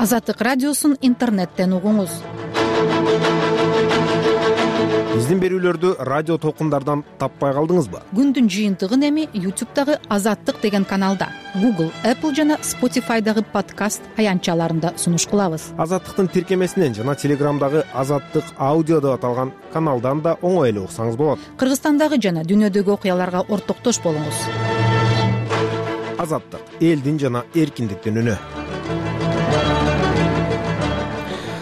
Азаттык радиосун интернеттен угуңуз. Биздин берүүлөрдү радио толкундардан таппай калдыңызбы? Күндүн жыйынтыгын эми YouTube'дагы Азаттык деген каналда, Google, Apple жана Spotify'дагы подкаст аянтчаларында сунуш кылабыз. Азаттыктын тиркемесинен жана Телеграмдагы Азаттык аудио деп аталган каналдан да оңой эле уксаңыз болот. Кыргызстандагы жана дүйнөдөгү окуяларга ортоктош болуңуз. Азаттык — элдин жана эркиндиктин үнү.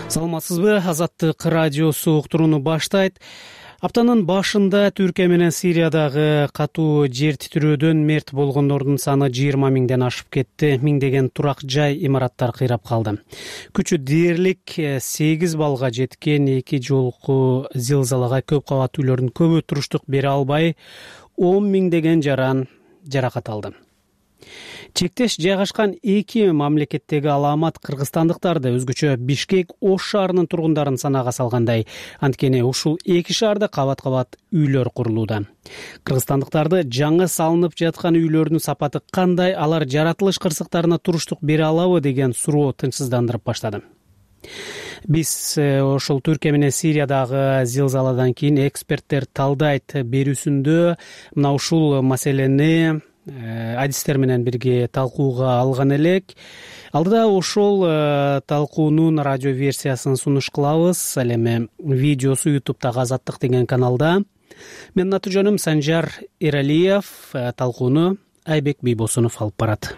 Саламатсызбы? Азаттык радиосу уктурууну баштайт. Аптанын башында Түркия менен Сириядагы катуу жер титирөөдөн мерт болгондордун саны 20 миңден ашып кетти. Миңдеген турак жай, имараттар кыйрап калды. Күчү дээрлик 8 баллга жеткен эки жолку зилзалага көп кабат үйлөрдүн көбү туруштук бере албай, 10 миңдеген жаран жаракат алды. Чектеш жайгашкан эки мамлекеттеги аламат кыргызстандыктарды, өзгөчө Бишкек Ош шаарынын тургундарын санаага салгандай. Анткени ушул эки шаарда кабат-кабат үйлөр курулууда. Кыргызстандыктарды жаңы салынып жаткан үйлөрдүн сапаты кандай, алар жаратылыш кырсыктарына туруштук бере алабы деген суроо тынчсыздандырып баштады. Биз ошол Түркия менен Сириядагы зилзаладан кийин эксперттер талдайт берүүсүндө мына ушул маселени адистер менен бирге талкууга алган элек. Алдыда ошол талкуунун радио версиясын сунуш кылабыз. Ал эми видеосу YouTube'дагы Азаттык деген каналда. Менин аты-жөнүм Санжар Эралиев. Талкууну Айбек Бийбосунов алып барат.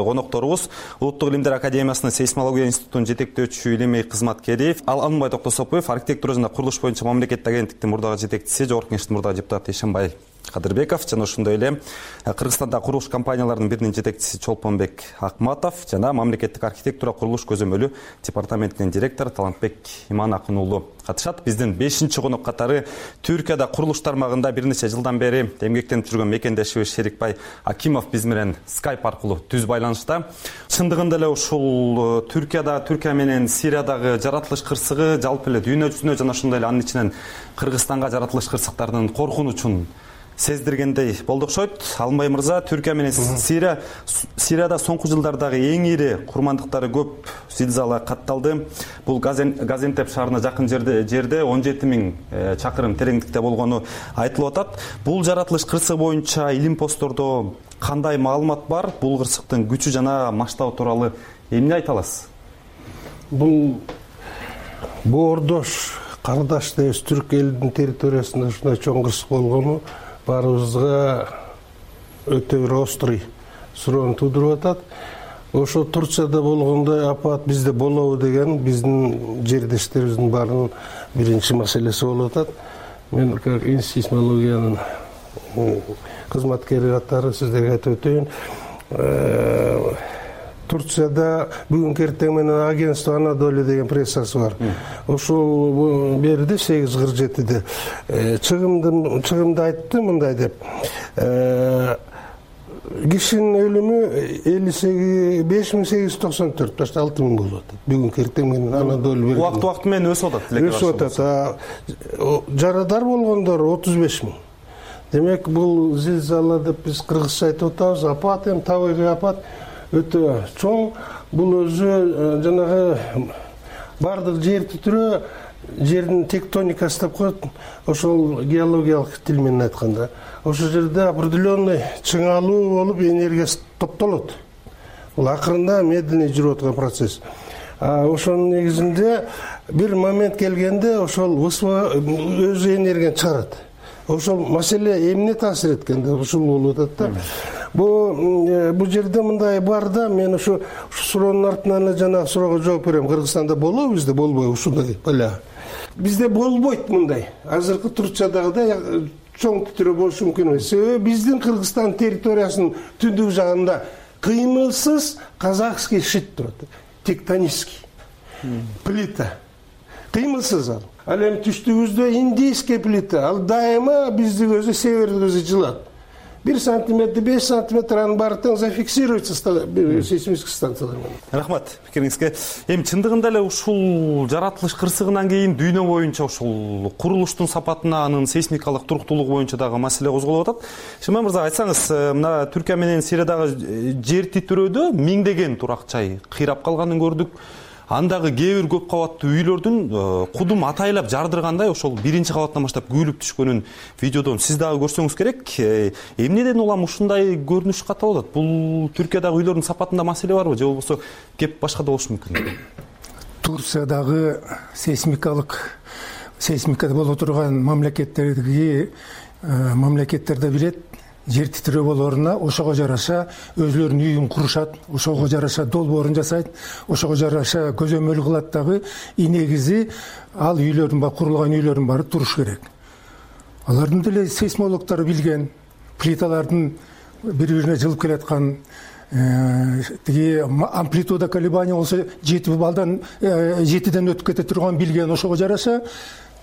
Конокторубуз Улуттук илимдер академиясынын сейсмология институтунун жетектөөчү илимий кызматкери, Ал Алмай Токтосопуев, архитектура жана курулуш боюнча мамлекеттик агенттиктин мурдагы жетекчиси, Жогорку Кеңештин мурдагы депутаты Ишенбай Кадырбеков жана ошондой эле Кыргызстандагы курулуш компанияларынын биринин жетекчиси Чолпонбек Акматов жана мамлекеттик архитектура курулуш көзөмөлү департаментинин директору Талантбек Иман-Акын уулу катышат. Биздин 5-чи конок катары Түркияда курулуш тармагында бир нече жылдан бери эмгектенип жүргөн мекендешибиз Шерикбай Акимов биз менен Skype аркылуу түз байланышта. Чындыгында эле ушул Түркия менен Сириядагы жаратылыш кырсыгы жалпы эле дүйнө жүзүнө жана ошондой эле анын ичинен Кыргызстанга жаратылыш кырсыктарынын коркунучун сездиргендей болду окшойт. Алмай мырза, Түркия менен Сирияда соңку жылдардагы эң ири курмандыктары көп зилзала катталды. Бул Газентеп шаарына жакын жерде 17 миң чакырым тереңдикте болгону айтылып атат. Бул жаратылыш кырсыгы боюнча илим посттордо кандай маалымат бар? Бул кырсыктын күчү жана масштабы тууралуу эмне айта аласыз? Бул боордош кардаш дейбиз, түрк элдин территориясында ушундай чоң кырсык болгону баарыбызга өтө бир острый суроону туудуруп атат. Ошо Турцияда болгондой апат бизде болобу деген биздин жердештерибиздин баарынын биринчи маселеси болуп атат. Мен как сейсмологиянын кызматкери катары сиздерге айтып өтөйүн. Турцияда бүгүнкү эртең менен агентство Анадолу деген прессасы бар. Ошол берди 8:47-де чыгымды айтты мындай деп. Кишинин өлүмү 58.894, башта 6 миң болуп атат. Бүгүнкү эртең менен Анадолу берди. Убакыт менен өсүп атат. Жарадар болгондор 35 миң. Демек бул зилзала деп биз кыргызча айтып атабыз. Апат эми табигый апат өтө чоң. Бул өзү жанагы бардык жер титирөө, жердин тектоникасы деп коет. Ошол геологиялык тил менен айтканда, ошол жерде определенный чыңалуу болуп энергиясы топтолот. Бул акырында медленный жүрүп аткан процесс. Ошонун негизинде бир момент келгенде ошол өзү энергияны чыгарат. Ошол маселе эмне таасир эткенде ушул болуп атат да. Бул жерде мындай бар да, мен ушу суроонун артынан эле жанагы суроого жооп берем. Кыргызстанда болобу, бизде болбойбу ушундай бала? Бизде болбойт мындай. Азыркы Турциядагыдай чоң титирөө болушу мүмкүн эмес. Себеби биздин Кыргызстан территориясынын түндүк жагында кыймылсыз казахский шит турат. Тектонический плита. кыймылсыз ал эми түштүгүбүздө индийский плита, ал дайыма бизди көзү северди көзү жылат. 1 сантиметр, 5 сантиметр анын баары тең зафиксируется сейсмический станциялар менен. Рахмат пикириңизге. Эми чындыгында эле ушул жаратылыш кырсыгынан кийин дүйнө боюнча ушул курулуштун сапатына, анын сейсмикалык туруктуулугу боюнча дагы маселе козголуп атат. Шымай мырза, айтсаңыз, мына Түркия менен Сириядагы жер титирөөдө миңдеген турак жай кыйрап калганын көрдүк. Андагы кээ бир көп кабаттуу үйлөрдүн кудум атайлап жардыргандай ошол 1-кабаттан баштап күйлүп түшкөнүн видеодон сиз дагы көрсөңүз керек. Эмнеден улам ушундай көрүнүш катталып атат? Бул Түркиядагы үйлөрдүн сапатында маселе барбы, же болбосо кеп башкада болушу мүмкүн? Турциядагы сейсмикада боло турган мамлекеттерде билет, жер титирөө болоруна ошого жараша өзүлөрүнүн үйүн курушат, ошого жараша долбоорун жасайт, ошого жараша көзөмөл кылат дагы. Негизи ал үйлөрдүн курулган үйлөрдүн баары туруш керек. Алардын деле сейсмологдору билген, плиталардын бири-бирине жылып келаткан, тиги амплитуда колебания болсо 7 балдан 7ден өтүп кете турган билген, ошого жараша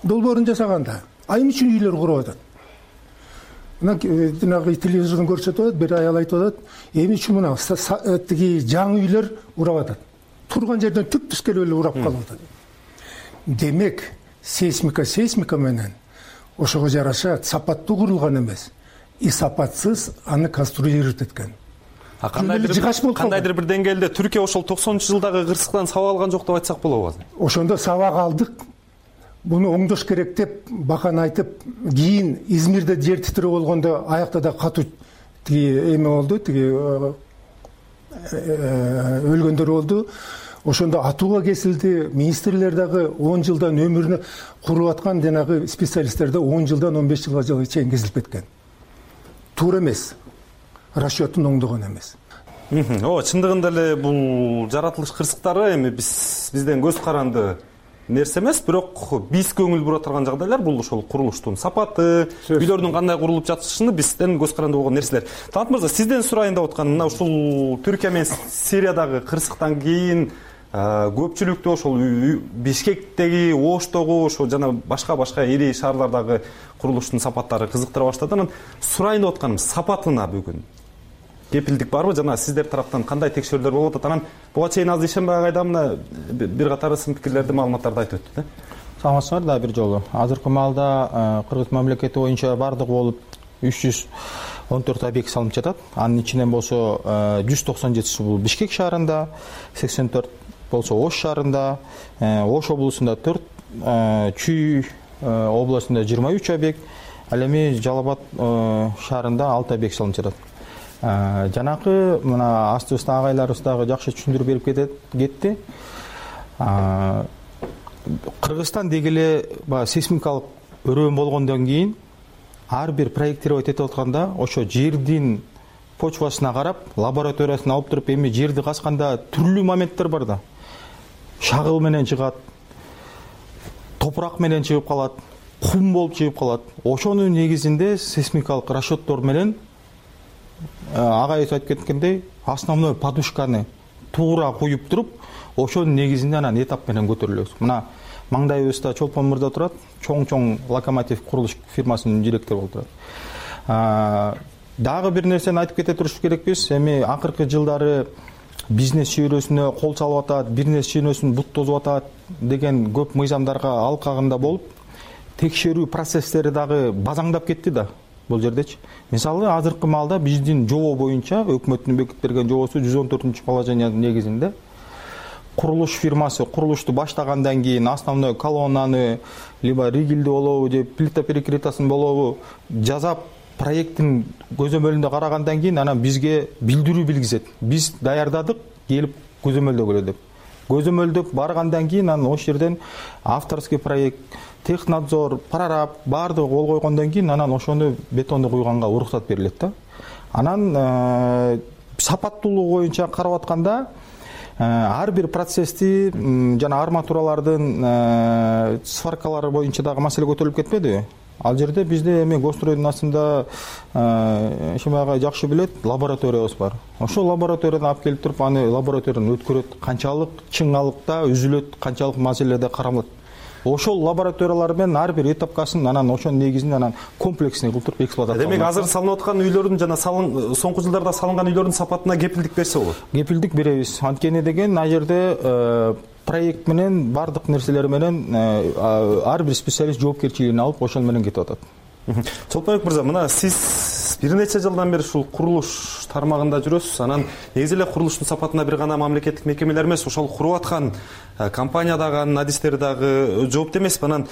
долбоорун жасаганда. Айым үчүн үйлөр куруп атат. Жанагы телевизордон көрсөтүп атат, бир аял айтып атат, эми үчүн мына тиги жаңы үйлөр урап атат. Турган жерден түп-түз келип эле урап калып атат. Демек, сейсмика менен ошого жараша сапаттуу курулган эмес, и сапатсыз аны конструировать эткен. Кандайдыр бир деңгээлде Түркия ошол 90-жылдагы кырсыктан сабак алган жок деп айтсак болобу? Ошондо сабак алдык. Буну оңдош керек деп бакан айтып, кийин Измирде жер титирөө болгондо аякта да катуу тиги эме болду, тиги өлгөндөр болду. Ошондо атууга кесилди. Министрлер дагы 10 жылдан өмүрүнө куруп аткан жанагы специалисттер да 10 жылдан 15 жылга чейин кесилип кеткен. Туура эмес. Расчетун оңдогон эмес. Чындыгында эле бул жаратылыш кырсыктары эми бизден көз каранды нерсе эмес, бирок биз көңүл бура турган жагдайлар бул ошол курулуштун сапаты, үйлөрдүн кандай курулуп жатышыны бизден көз каранды болгон нерселер. Талант мырза, сизден сурайын деп атканым, мына ушул Түркия менен Сириядагы кырсыктан кийин көпчүлүктө ошол Бишкектеги, Оштогу, ошо жана башка ири шаарлардагы курулуштун сапаттары кызыктыра баштады. Анан сурайын деп атканым, сапатына бүгүн кепилдик барбы? Жана сиздер тараптан кандай текшерүүлөр болуп атат? Анан буга чейин аз ишенбей кайда мына бир катар сын пикирлерди, маалыматтарды айтып өттү да. Саламатсыздар да бир жолу. Азыркы маалда Кыргыз мамлекети боюнча бардыгы болуп 314 объект салынып жатат. Анын ичинен болсо 197 бул Бишкек шаарында, 84 болсо Ош шаарында, Ош облусунда 4, Чүй областында 23 объект, ал эми Жалал Абад шаарында 6 объект салынып жатат. Жанакы мына астыбызда агайларыбыз дагы жакшы түшүндүрүп берип кетти. Кыргызстан деги эле сейсмикалык өрөөн болгондон кийин ар бир проектировать этип атканда ошо жердин почвасына карап, лабораториясына алып туруп, эми жерди казганда түрлүү моменттер бар да. Шагыл менен чыгат, топурак менен чыгып калат, кум болуп чыгып калат. Ошонун негизинде сейсмикалык расчеттор менен агайыбыз айтып кеткендей, основной подушканы туура куюп туруп, ошонун негизинде анан этап менен көтөрүлөбүз. Мына маңдайыбызда Чолпон мырза турат, чоң локомотив курулуш фирмасынын директору болуп турат. Дагы бир нерсени айтып кете туруш керекпиз. Эми акыркы жылдары бизнес чөйрөсүнө кол салып атат, бизнес чөйрөсүн бут тозуп атат деген көп мыйзамдарга алкагында болуп, текшерүү процесстери дагы базаңдап кетти да. Бул жердечи. Мисалы, азыркы маалда биздин жобо боюнча өкмөттүн бекитип берген жобосу 114-положениянын негизинде курулуш фирмасы курулушту баштагандан кийин основной колоннаны, либо ригилди болобу, же плита перекрытиясын болобу жасап, проекттин көзөмөлүндө карагандан кийин анан бизге билдирүү билгизет. Биз даярдадык, келип көзөмөлдөгүлө деп. Көзөмөлдөп баргандан кийин анан ошол жерден авторский проект, технадзор, прораб баардыгы кол койгондон кийин анан ошону бетонду куйганга уруксат берилет да. Анан сапаттуулугу боюнча карап атканда ар бир процессти жана арматуралардын сваркалары боюнча дагы маселе көтөрүлүп кетпедиби? Ал жерде бизде эми Гостройдун астында Шимай жакшы билет, лабораториябыз бар. Ошол лабораториядан алып келип туруп, аны лабораториядан өткөрөт, канчалык чыңалыкта үзүлөт, канчалык маселеде каралат. ошол лабораториялар менен ар бир этапкасын анан ошонун негизинде анан комплексный кылып туруп эксплуатация. Демек азыр салынып аткан үйлөрдүн жана соңку жылдарда салынган үйлөрдүн сапатына кепилдик берсе болот. Кепилдик беребиз. Анткени деген ал жерде проект менен бардык нерселер менен ар бир специалист жоопкерчилигин алып ошол менен кетип атат. Чолпонбек мырза, мына сиз бир нече жылдан бери ушул курулуш тармагында жүрөсүз. Анан негизи эле курулуштун сапатына бир гана мамлекеттик мекемелер эмес, ошол куруп аткан компания дагы, анын адистери дагы жоопту эмеспи? Анан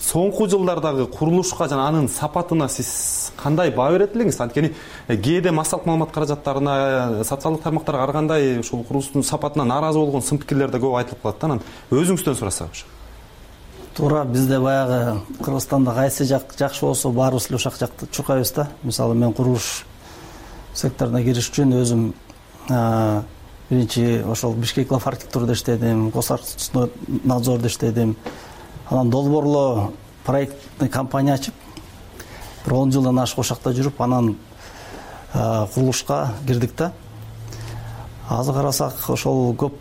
соңку жылдардагы курулушка жана анын сапатына сиз кандай баа берет элеңиз? Анткени кээде массалык маалымат каражаттарына, социалдык тармактарга карагандай ушул курулуштун сапатына нааразы болгон сын пикирлер да көп айтылып калат да. Анан өзүңүздөн сурасак. Туура, бизде баягы Кыргызстанда кайсы жак жакшы болсо баарыбыз эле ошол жакты чуркайбыз да. Мисалы мен курулуш секторуна кириш үчүн өзүм биринчи ошол Бишкек-Лав архитектурада иштедим, Госархитектурнадзордо иштедим. Анан долбоорлоо проектный компания ачып, бир 10 жылдан ашык ошакта жүрүп, анан курулушка кирдик да. Азыр карасак ошол көп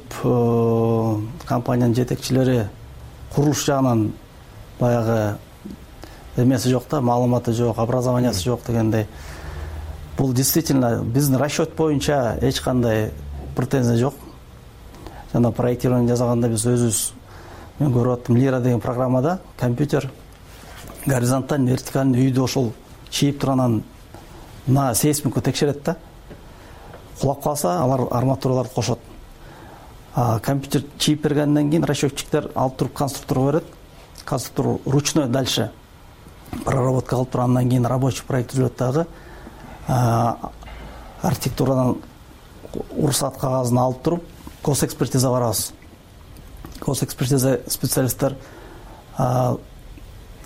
компаниянын жетекчилери курулуш жагынан баягы эмеси жок да, маалыматы жок, образованиясы жок дегендей. Бул действительно биздин расчет боюнча эч кандай претензия жок. Жана проектирование жасаганда биз өзүбүз, мен көрүп аттым, Лира деген программада компьютер горизонталь, вертикаль үйдү ошол чийип туранан на сейсмику текшерет да. Кулап калса, алар арматураларды кошот. Компьютер чийип бергенден кийин расчетчиктер алып туруп конструкторго берет. Конструктор ручной дальше проработка кылып туруп, андан кийин рабочий проект түзүлөт дагы. Архитектурадан уруксат кагазын алып туруп, госэкспертиза барабыз. Госэкспертиза специалисттер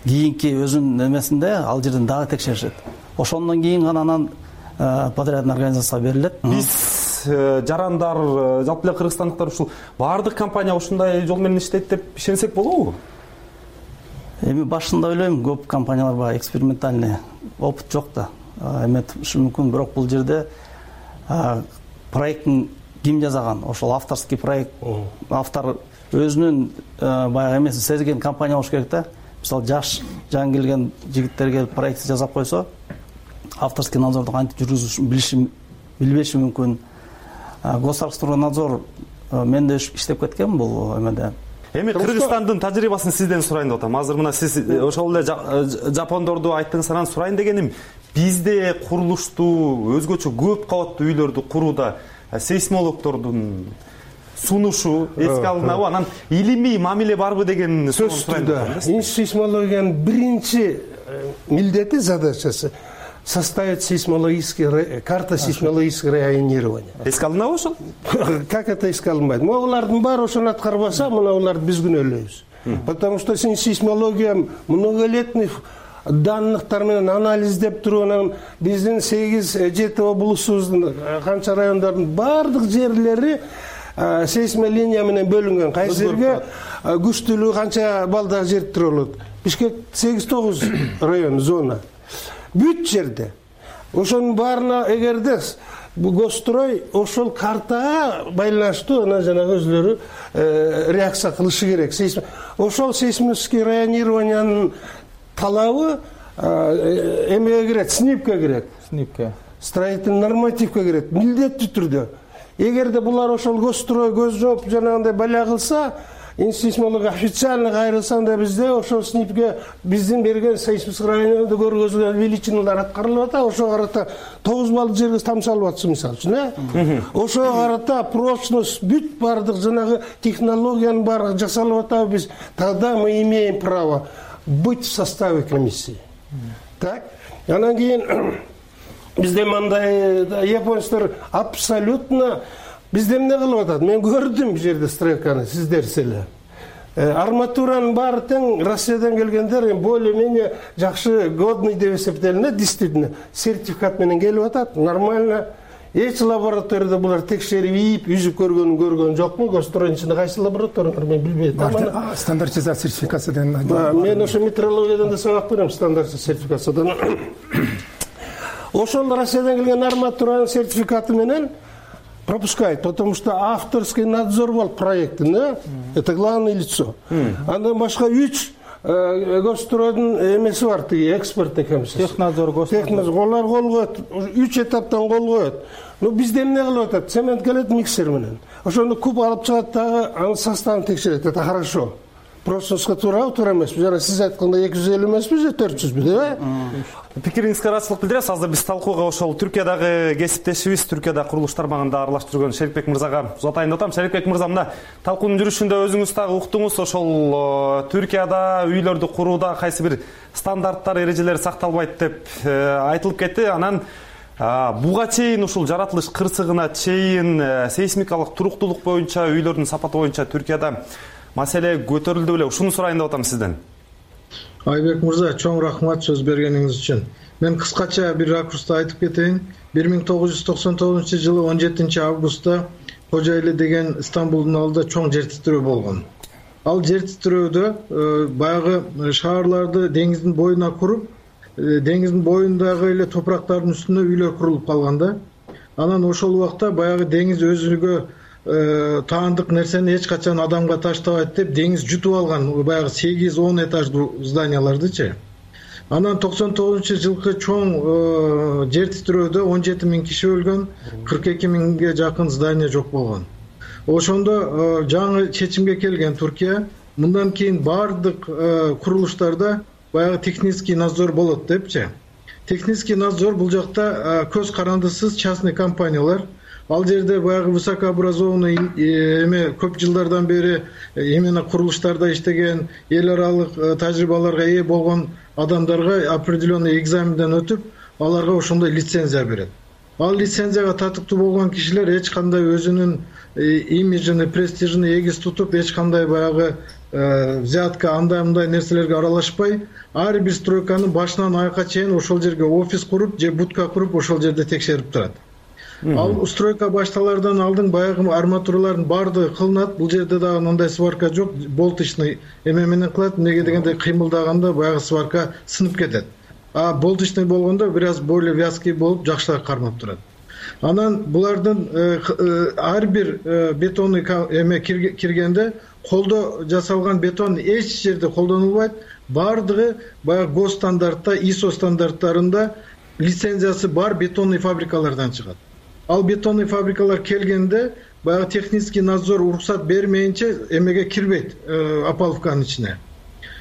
кийинки өзүнүн эмесинде ал жерден дагы текшеришет. Ошондон кийин гана анан подрядный организацияга берилет. Биз жарандар, жалпы эле кыргызстандыктар ушул баардык компания ушундай жол менен иштейт деп ишенсек болобу? Эми башында ойлойм, көп компаниялар бар, экспериментальный опыт жок да. Ушу мүмкүн, бирок бул жерде проекттин ким жасаган, ошол авторский проект, автор өзүнүн баягы эмесин сезген компания болуш керек да. Мисалы жаш жаңы келген жигиттер келип проект жасап койсо, авторский надзорду кантип жүргүзүшүн билбеши мүмкүн. Госархитектурнадзор мен да иштеп кеткем бул эмеде. Эми Кыргызстандын тажрыйбасын сизден сурайын деп атам. Азыр мына сиз ошол эле жапондорду айттыңыз, анан сурайын дегеним, бизде курулушту өзгөчө көп кабаттуу үйлөрдү курууда сейсмологдордун сунушу эске алынабы, анан илимий мамиле барбы деген суроону сурайын деп атам. Сейсмологиянын биринчи милдети, задачасы составить карта сейсмологического районирования. Эске алынабы ошол? Как это эске алынбайт? Могулардын баары ошону аткарбаса, мына уларды биз күнөөлөйбүз. Потому что сейсмология многолетний данныктар менен анализдеп туруп, анан биздин 8-7 облусубуздун канча райондордун баардык жерлери сейсмолиния менен бөлүнгөн. Кайсы жерге күчтүүлүгү канча балдагы жер болот. Бишкек 8-9 район зона. Бүт жерде. Ошонун баарына эгерде Госстрой ошол картага байланыштуу анан жанагы өзлөрү реакция кылышы керек. Ошол сейсмический районированиянын талабы эмеге кирет, СНИПке кирет. СНИПке. Строительный нормативке кирет. Милдеттүү түрдө. Эгерде булар ошол Госстрой көз жооп жанагындай баля кылса, сейсмология официально кайрылса, анда бизде ошол СНИПке биздин берген сейсмический районунда көргөзүлгөн величиналар аткарылып атат. Ошого карата 9 балл жерге тамшалып атса, мисалы үчүн, ошого карата прочность бүт бардык жанагы технологиянын баары жасалып атабы биз. Тогда мы имеем право быть в составе комиссии. Так? Анан кийин бизде мындай японецтер абсолютно бизде эмне кылып атат? Мен көрдүм бул жерде стройканы, сиздер эле. Арматуранын баары тең Россиядан келгендер более-менее жакшы годный деп эсептелинет, действительно сертификат менен келип атат, нормально. Эч лабораторияда булар текшерип ийип, үзүп көргөн жокму? Госстройдун ичинде кайсы лабораториялар мен билбейм. Стандартизация сертификациядан. Мен ошо метрологиядан да сабак берем, стандарт сертификациядан. Ошол Россиядан келген арматуранын сертификаты менен пропускает, потому что авторский надзор болот проекттин, это главное лицо. Андан башка 3 Госстроодун эмеси бар, тиги экспертный комиссия. Технадзор, Госстроодун. Олар кол коет, 3 этаптан кол коет. Бизде эмне кылып атат? Цемент келет миксер менен. Ошону куб алып чыгат дагы, анын составын текшерет. Это хорошо. Процесске туура эмеспи? Жана сиз айткандай 250 эмеспи же 400бү, деп? Пикириңизге ыраазычылык билдиребиз. Азыр биз талкууга ошол Түркиядагы кесиптешибиз, Түркияда курулуш тармагында аралашып жүргөн Шерикбек мырзага узатайын деп атам. Шерикбек мырза, мына талкуунун жүрүшүндө өзүңүз дагы уктуңуз, ошол Түркияда үйлөрдү курууда кайсы бир стандарттар, эрежелер сакталбайт деп айтылып кетти. Анан буга чейин ушул жаратылыш кырсыгына чейин сейсмикалык туруктуулук боюнча, үйлөрдүн сапаты боюнча Түркияда маселе көтөрүлдү беле? Ушуну сурайын деп атам сизден. Айбек мырза, чоң рахмат сөз бергениңиз үчүн. Мен кыскача бир ракурста айтып кетейин. 1999-жылы 17 августта Кожоэли деген Стамбулдун алдында чоң жер титирөө болгон. Ал жер титирөөдө баягы шаарларды деңиздин боюна куруп, деңиздин боюндагы эле топурактардын үстүнө үйлөр курулуп калган да. Анан ошол убакта баягы деңиз өзүгө таандык нерсени эч качан адамга таштабайт деп деңиз жутуп алган баягы 8-10 этаждуу зданиялардычы. Анан 99-жылкы чоң жер титирөөдө 17 000 киши өлгөн, 42 000ге жакын здания жок болгон. Ошондо жаңы чечимге келген Түркия мындан кийин бардык курулуштарда баягы технический надзор болот депчи. Технический надзор бул жакта көз карандысыз частный компаниялар. Ал жерде баягы высокообразованный эме көп жылдардан бери именно курулуштарда иштеген, эл аралык тажрыйбаларга ээ болгон адамдарга определенный экзаменден өтүп, аларга ошондой лицензия берет. Ал лицензияга татыктуу болгон кишилер эч кандай өзүнүн имиджин, престижин эгиз тутуп, эч кандай баягы взятка, андай нерселерге аралашпай, ар бир стройканын башынан аякка чейин ошол жерге офис куруп же будка куруп ошол жерде текшерип турат. Ал стройка башталардан алдын баягы арматуралардын баардыгы кылынат. Бул жерде дагы мындай сварка жок, болточный эме менен кылат. Эмнеге дегенде кыймылдаганда баягы сварка сынып кетет. А болточный болгондо бир аз более вязкий болуп, жакшыраак кармап турат. Анан булардын ар бир бетонный эме киргенде колдо жасалган бетон эч жерде колдонулбайт. Баардыгы баягы гос стандартта, ISO стандарттарында лицензиясы бар бетонный фабрикалардан чыгат. Ал бетонный фабрикалар келгенде баягы технический надзор уруксат бермейинче эмеге кирбейт, опалубканын ичине.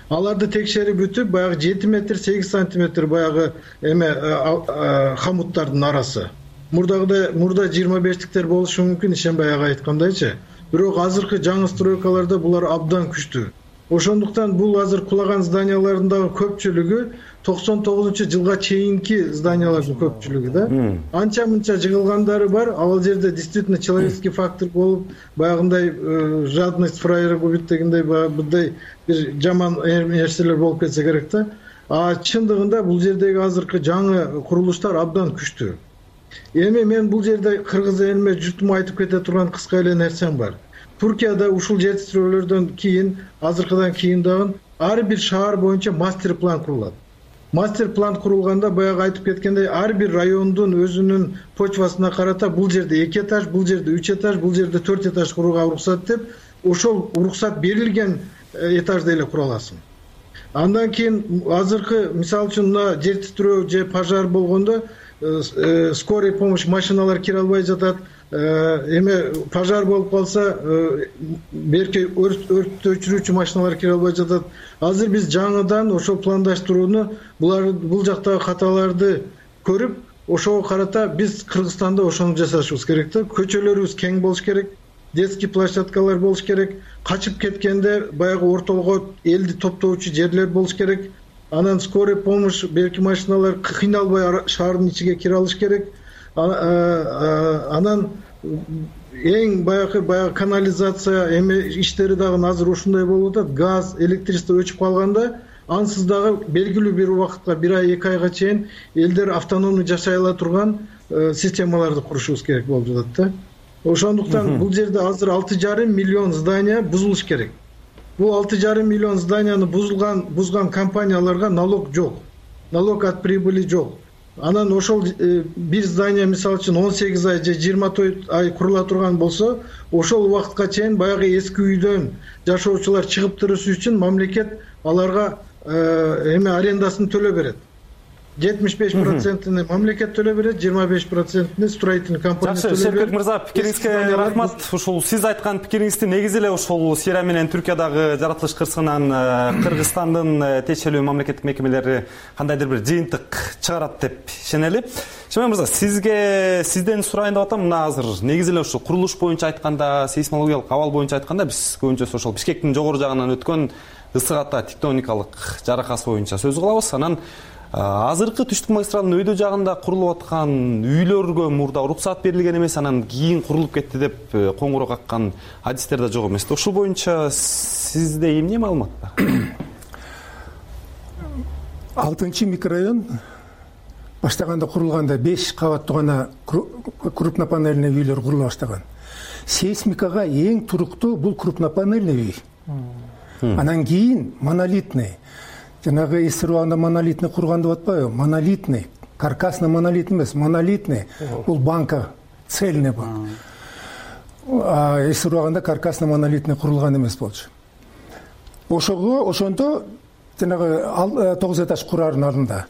Аларды текшерип бүтүп, баягы 7 метр 8 сантиметр баягы эме хамуттардын арасы. Мурда 25-тиктер болушу мүмкүн, ишенбай айткандайчы. Бирок азыркы жаңы стройкаларда булар абдан күчтүү. Ошондуктан бул азыр кулаган зданиялардагы көпчүлүгү 99-жылга чейинки зданиялардын көпчүлүгү да. Анча-мынча жыгылгандары бар. Ал жерде действительно человеческий фактор болуп, баягындай жадность фраера губит дегендей мындай бир жаман нерселер болуп кетсе керек да. А чындыгында бул жердеги азыркы жаңы курулуштар абдан күчтүү. Эми мен бул жерде кыргыз элиме жутума айтып кете турган кыска эле нерсем бар. Түркияда ушул жер титирөөлөрдөн кийин, азыркыдан кийин дагы ар бир шаар боюнча мастер план курулат. Мастер план курулганда баягы айтып кеткендей, ар бир райондун өзүнүн почвасына карата бул жерде 2 этаж, бул жерде 3 этаж, бул жерде 4 этаж курууга уруксат деп, ошол уруксат берилген этажда эле кура аласың. Андан кийин азыркы мисалы үчүн мына жер титирөө же пожар болгондо скорый помощь машиналар кире албай жатат. Эме пожар болуп калса, берки өрт өчүрүүчү машиналар кире албай жатат. Азыр биз жаңыдан ошол пландаштырууну, бул жактагы каталарды көрүп, ошого карата биз Кыргызстанда ошону жасашыбыз керек да. Көчөлөрүбүз кең болуш керек, детский площадкалар болуш керек, качып кеткенде баягы ортолго элди топтоочу жерлер болуш керек. Анан скорый помощь берки машиналар кыйналбай шаардын ичиге кире алыш керек. Анан эң баягы канализация эме иштери дагы азыр ушундай болуп атат. Газ, электричество өчүп калганда, ансыз дагы белгилүү бир убакытка, 1 ай 2 айга чейин элдер автономный жашай ала турган системаларды курушубуз керек болуп жатат да. Ошондуктан бул жерде азыр 6,5 миллион здания бузулуш керек. Бул 6,5 миллион зданияны бузган компанияларга налог жок. Налог от прибыли жок. анан ошол бир здание мисалы үчүн 18 ай же 24 ай курула турган болсо, ошол убакытка чейин баягы эски үйдөн жашоочулар чыгып турушу үчүн мамлекет аларга арендасын төлөп берет. 75%-ны мамлекет төлөп берет, 25%-ны строительный компания төлөп берет. Жакшы, Шербек мырза, пикириңизге рахмат. Ушул сиз айткан пикириңизди негизи эле ушул Сирия менен Түркиядагы жаратылыш кырсыгынан Кыргызстандын тиешелүү мамлекеттик мекемелери кандайдыр бир жыйынтык чыгарат деп ишенели. Шербек мырза, сизден сурайын деп атам. Мына азыр негизи эле ушул курулуш боюнча айтканда, сейсмологиялык абал боюнча айтканда биз көбүнчөсү ошол Бишкектин жогору жагынан өткөн ысык ата тектоникалык жаракасы боюнча сөз кылабыз. Анан азыркы түштүк магистралдын өйдө жагында курулуп аткан үйлөргө мурда уруксаат берилген эмес, анан кийин курулуп кетти деп коңгуроо каккан адистер да жок эмес. Ушул боюнча сизде эмне маалымат бар? 6 микрорайон баштаганда курулганда 5 кабаттуу гана крупнопанельный үйлөр курулуп баштаган. Сейсмикага эң туруктуу бул крупнопанельный үй. Анан кийин монолитный, жанагы эсир убагында монолитный курган деп атпайбы? Монолитный, каркасный монолитный эмес, монолитный. Бул банка цельный бул. Эсир убагында каркасный монолитный курулган эмес болчу. Ошондо жанагы 9 этаж курардын алдында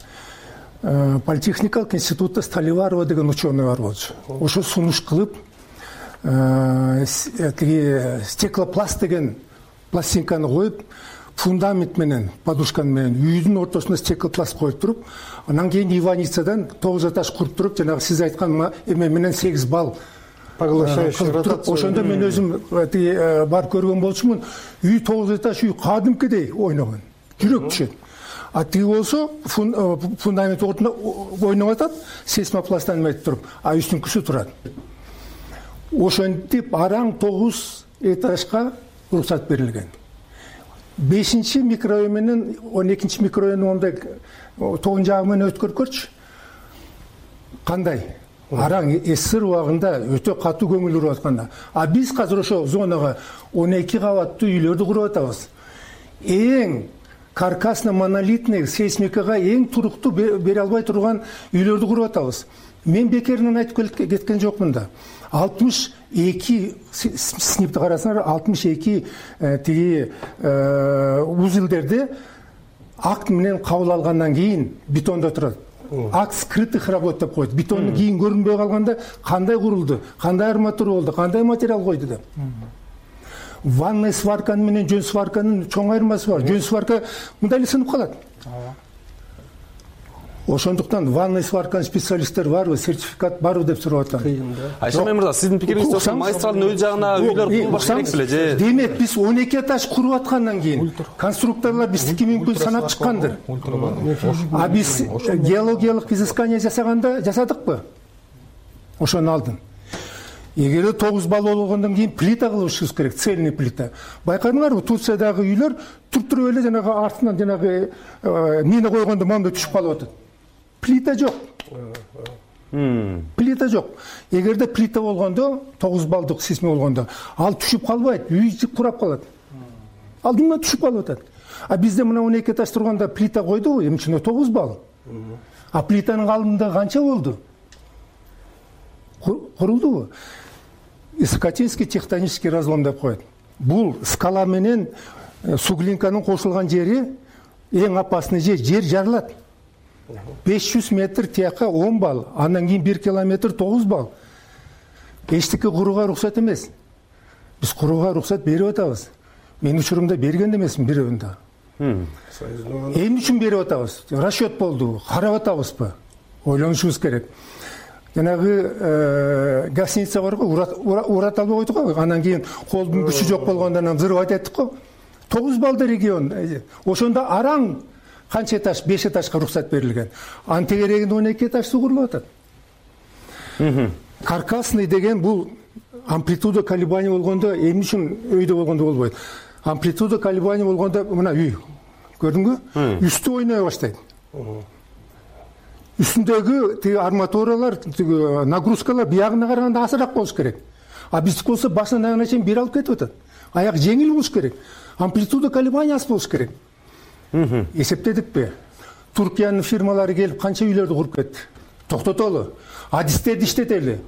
политехникалык институтта Столиварова деген ученый бар болчу. Ошо сунуш кылып стеклопласт деген пластинканы коюп, фундамент менен, подушка менен үйдүн ортосуна стеклопласт коюп туруп, анан кийин Иваницадан 9 этаж куруп туруп, жанагы сиз айткан эме менен 8 балл поглощающий ротация. Ошондо мен өзүм бар көргөн болчумун. Үй 9 этаж үй кадимкидей ойногон. Жүрөк түшөт. А тиги болсо фундамент ортунда ойноп атат, сейсмопласттан эметип туруп, а үстүнкүсү турат. Ошентип араң 9 этажга уруксат берилген. 5 микрорайон менен 12 микрорайондун ондай тогун жагы менен өткөркөрчү. Кандай? Араң эсир убагында өтө катуу көңүл буруп атканда. А биз азыр ошо зонага 12 кабаттуу үйлөрдү куруп атабыз. Эң каркасно монолитный сейсмикага эң туруктуу бере албай турган үйлөрдү куруп атабыз. Мен бекеринен айтып кеткен жокмун да. 62 сниптти карасаңар, 62 тиги узелдерди акт менен кабыл алгандан кийин бетондо турат. Акт скрытых работ деп коет. Бетондун кийин көрүнбөй калганда кандай курулду, кандай арматура болду, кандай материал койду деп. Ванный сварка менен жөн сварканын чоң айырмасы бар. Жөн сварка мындай эле сынып калат. Ошондуктан ванный сварканын специалисттер барбы, сертификат барбы деп сурап атам. Айшемей мырза, сиздин пикириңизде ошо магистралдын өз жагына үйлөр курулбаш керек беле же? Демек биз 12 этаж куруп аткандан кийин конструкторлор биздики мүмкүн санап чыккандыр. А биз геологиялык изыскание жасадыкпы? Ошону алдын. Эгер 9 балл болгондон кийин плита кылышыбыз керек, цельный плита. Байкадыңарбы, Турциядагы үйлөр туруп эле жанагы артынан жанагы мина койгондо моундай түшүп калып атат. Плита жок. Плита жок. Эгерде плита болгондо, 9 баллдык сейсмик болгондо, ал түшүп калбайт, үй курап калат. Алдыңан түшүп калып атат. А бизде мына 12 этаж турганда плита койдубу, эми чын 9 балл. А плитанын калыңдыгы канча болду? Курулдубу? Исокатинский тектонический разлом деп коет. Бул скала менен суглинканын кошулган жери эң опасный жер жарылат. 500 метр тияка 10 балл, андан кийин 1 километр 9 балл. Эчтеке курууга уруксат эмес. Биз курууга уруксат берип атабыз. Мен учурумда берген эмесмин бирөөндө. Эмне үчүн берип атабыз? Расчет болду, карап атабызбы? Ойлонушубуз керек. Жанагы гостиница бар го, урат албай койдук го. Андан кийин колдун күчү жок болгондон взрывать эттик го. 9 баллды регион. Ошондо араң канча этаж? 5 этажга уруксат берилген. Анын тегерегинде 12 этаж суу курулуп атат. Каркасный деген бул амплитуда колебания болгондо эмне үчүн өйдө болгондо болбойт? Амплитуда колебания болгондо мына үй. Көрдүңбү? Үстү ойной баштайт. Үстүндөгү тиги арматуралар, тиги нагрузкалар биягына караганда азыраак болуш керек. А биздики болсо башынан аягына чейин бир алып кетип атат. Аяк жеңил болуш керек. Амплитуда колебаниясы болуш керек. Эсептедикпи? Туркиянын фирмалары келип канча үйлөрдү куруп кетти. токтотолу, адистерди иштетели,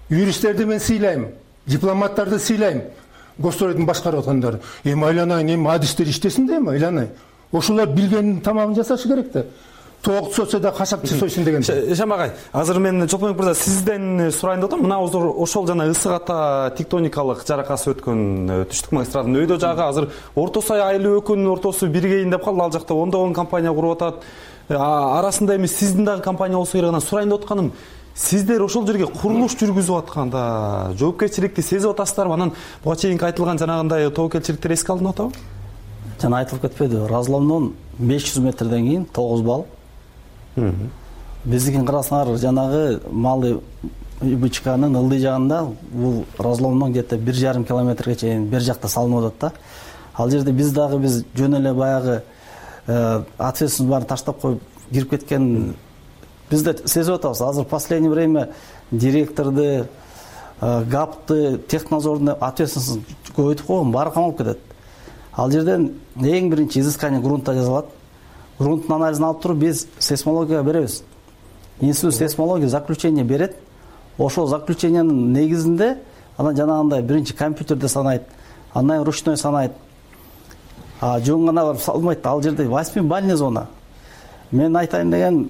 юристтерди мен сыйлайм, дипломаттарды сыйлайм, госстройдун башкарып аткандары. Эми айланайын, эми адистер иштесин да, эми айланайын. Ошолор билгенин тамагын жасашы керек да. Тоок сотса да кашакчы сойсун деген. Эшем агай, азыр мен Чолпонбек мырза сизден сурайын деп атам. Мына ошол жана ысык ата тектоникалык жаракасы өткөн түштүк магистратынын өйдө жагы азыр Орто Сай айыл өкүнүнүн ортосу биригейин деп калды. Ал жакта ондогон компания куруп атат. Арасында эми сиздин дагы компания болсо керек. Сурайын деп атканым, сиздер ошол жерге курулуш жүргүзүп атканда жоопкерчиликти сезип атасыздарбы? Анан буга чейинки айтылган жанагындай тобокелчиликтер эске алынып атабы? Жана айтылып кетпеди, разломдон 500 метрден кийин 9 балл. Биздикин карасаңар, жанагы Малый Бычканын ылдый жагында бул разломдон где-то 1,5 километрге чейин бер жакта салынып атат да. Ал жерде биз жөн эле баягы ответственность баарын таштап коюп кирип кеткен биз да сезип атабыз. Азыр последнее время директорду, ГАПты, технадзордун ответственность көбөйтүп койгон, баары камалып кетет. Ал жерден эң биринчи изыскание грунта жасалат. Грунттун анализин алып туруп биз сейсмологияга беребиз. Институт сейсмология заключение берет. Ошол заключениянын негизинде анан жанагындай биринчи компьютерде санайт, андан ручной санайт. Жөн гана барып салмайт. Ал жерде 8-бальный зона. Мен айтайын деген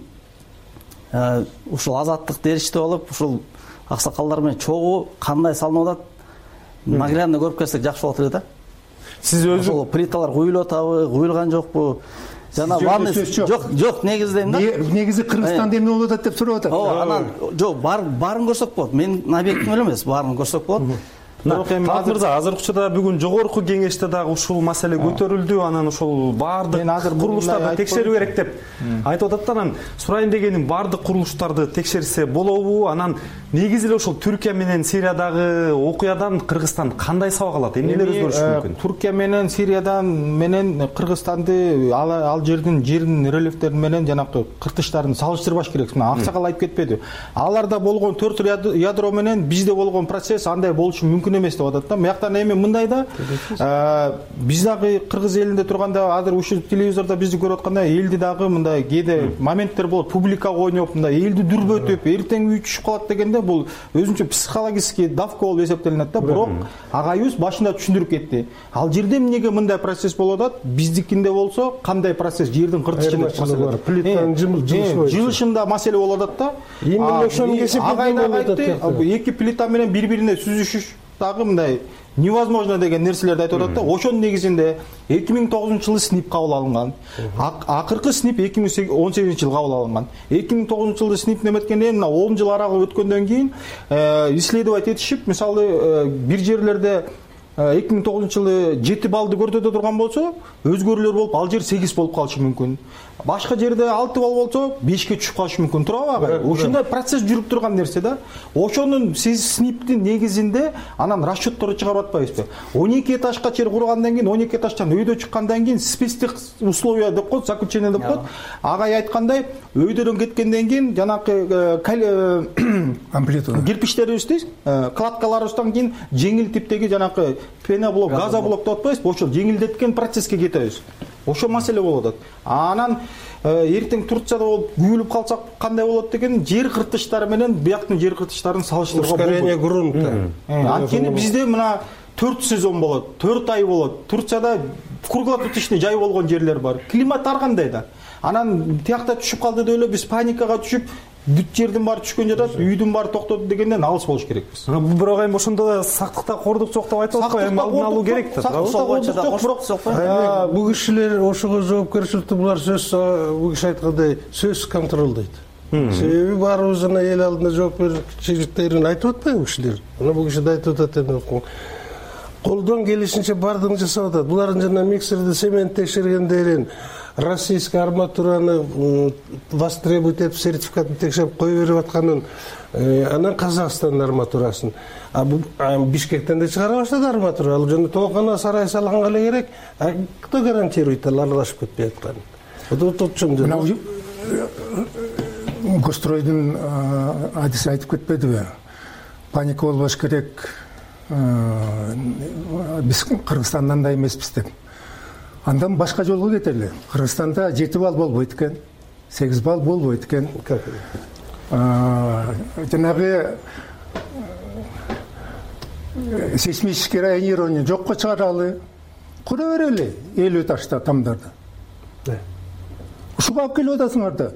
ушул азаттык derişte болуп, ушул аксакалдар менен чогуу кандай салынып атат, наглядно көрүп келсек жакшы болот эле да. Сиз өзү ошол плиталар куюлуп атабы, куюлган жокпу? Жана ванный жок, негиздейм да. Негизи Кыргызстанда эмне болуп атат деп сурап атат. Анан жок, баарын көрсөк болот. Менин объектим эле эмес, баарын көрсөк болот. Талап мырза, азыркы учурда бүгүн жогорку кеңеште дагы ушул маселе көтөрүлдү. Анан ошол баардык курулуштарды текшерүү керек деп айтып атат. Анан сурайын дегеним, баардык курулуштарды текшерсе болобу? Анан негизи эле ошол Түркия менен Сириядагы окуядан Кыргызстан кандай сабак алат? Эмнелер өзгөрүшү мүмкүн? Түркия менен Сириядан менен Кыргызстанды ал жердин рельефтери менен жанакы кыртыштарын салыштырбаш керек. Аксакал айтып кетпеди. Аларда болгон 4 ядро менен бизде болгон процесс андай болушу мүмкүн эмес деп атат да. Мыяктан эми мындай да, биз дагы кыргыз элинде турганда, азыр ушул телевизордо бизди көрүп атканда, элди дагы мындай кээде моменттер болот, публикага ойноп, мындай элди дүрбөтүп, эртең үй түшүп калат дегенде, бул өзүнчө психологический давка болуп эсептелинет да. Бирок агайыбыз башында түшүндүрүп кетти. Ал жерде эмнеге мындай процесс болуп атат? Биздикинде болсо кандай процесс, жердин кыртышында плитанын жылышында маселе болуп атат да. Агайда эки плита менен бири-бирине сүзүшүш дагы мындай невозможно деген нерселерди айтып атат да. Ошонун негизинде 2009-жылы СНИП кабыл алынган. Акыркы СНИП 2018-жылы кабыл алынган. 2009-жылы СНИП неметкенде, мына 10 жыл аралык өткөндөн кийин исследовать этишип, мисалы бир жерлерде 2009-жылы 7 баллды көрсөтө турган болсо, өзгөрүүлөр болуп, ал жер 8 болуп калышы мүмкүн. Башка жерде 6 балл болсо, 5ке түшүп калышы мүмкүн. Туурабы агай? Ошондой процесс жүрүп турган нерсе да. Ошонун сиз СНИПтин негизинде анан расчетторду чыгарып атпайсызбы? 12 этажга чейин кургандан кийин, 12 этаждан өйдө чыккандан кийин спецтех условия деп коет, заключение деп коет. Агай айткандай, өйдөрөн кеткенден кийин жанакы амплитуда кирпичтерибизди, кладкаларыбыздан кийин жеңил типтеги жанакы пеноблок, газоблок деп атпайсызбы? Ошол жеңилдеткен процесске кетебиз. Ошо маселе болуп атат. Анан эртең Турцияда болуп күйүлүп калсак кандай болот деген жер кыртыштары менен бияктын жер кыртыштарын салыштырууга болбойт. Ускорение грунта. Анткени бизде мына 4 сезон болот, 4 ай болот. Турцияда круглосуточный жай болгон жерлер бар. Климат ар кандай да. Анан тиякта түшүп калды деп эле биз паникага түшүп, бүт жердин баары түшкөн жатат, үйдүн баары токтоду дегенден алыс болуш керекпиз. Бирок эми ошондо да сактыкта кордук жок деп айтып атпайбы? Эми алдын алуу керек да. Бул кишилер ошого жоопкерчиликти булар сөз, бул киши айткандай сөз контролдойт. Себеби баарыбыз жана эл алдында жоопкерчиликтерин айтып атпайбы кишилер? Мына бул киши да айтып атат эми. Колдон келишинче баардыгын жасап атат. Булардын жана миксерди цемент текшергендерин, российский арматураны востребовать этип сертификатын текшерип кое берип атканын, анан Казакстандын арматурасын. Бишкектен да чыгара баштады арматура. Ал жана тоокана сарай салганга эле керек. Кто гарантирует ал аралашып кетпей атканын? Мына Гостройдун адиси айтып кетпедиби? Паника болбош керек. Биз Кыргызстандан да эмеспиз деп. Андан башка жолго кетели. Кыргызстанда 7 балл болбойт экен, 8 балл болбойт экен. жанагы сейсмический районирование жокко чыгаралы, кура берели элүү ташта тамдарды. Ушуга алып келип атасыңар да.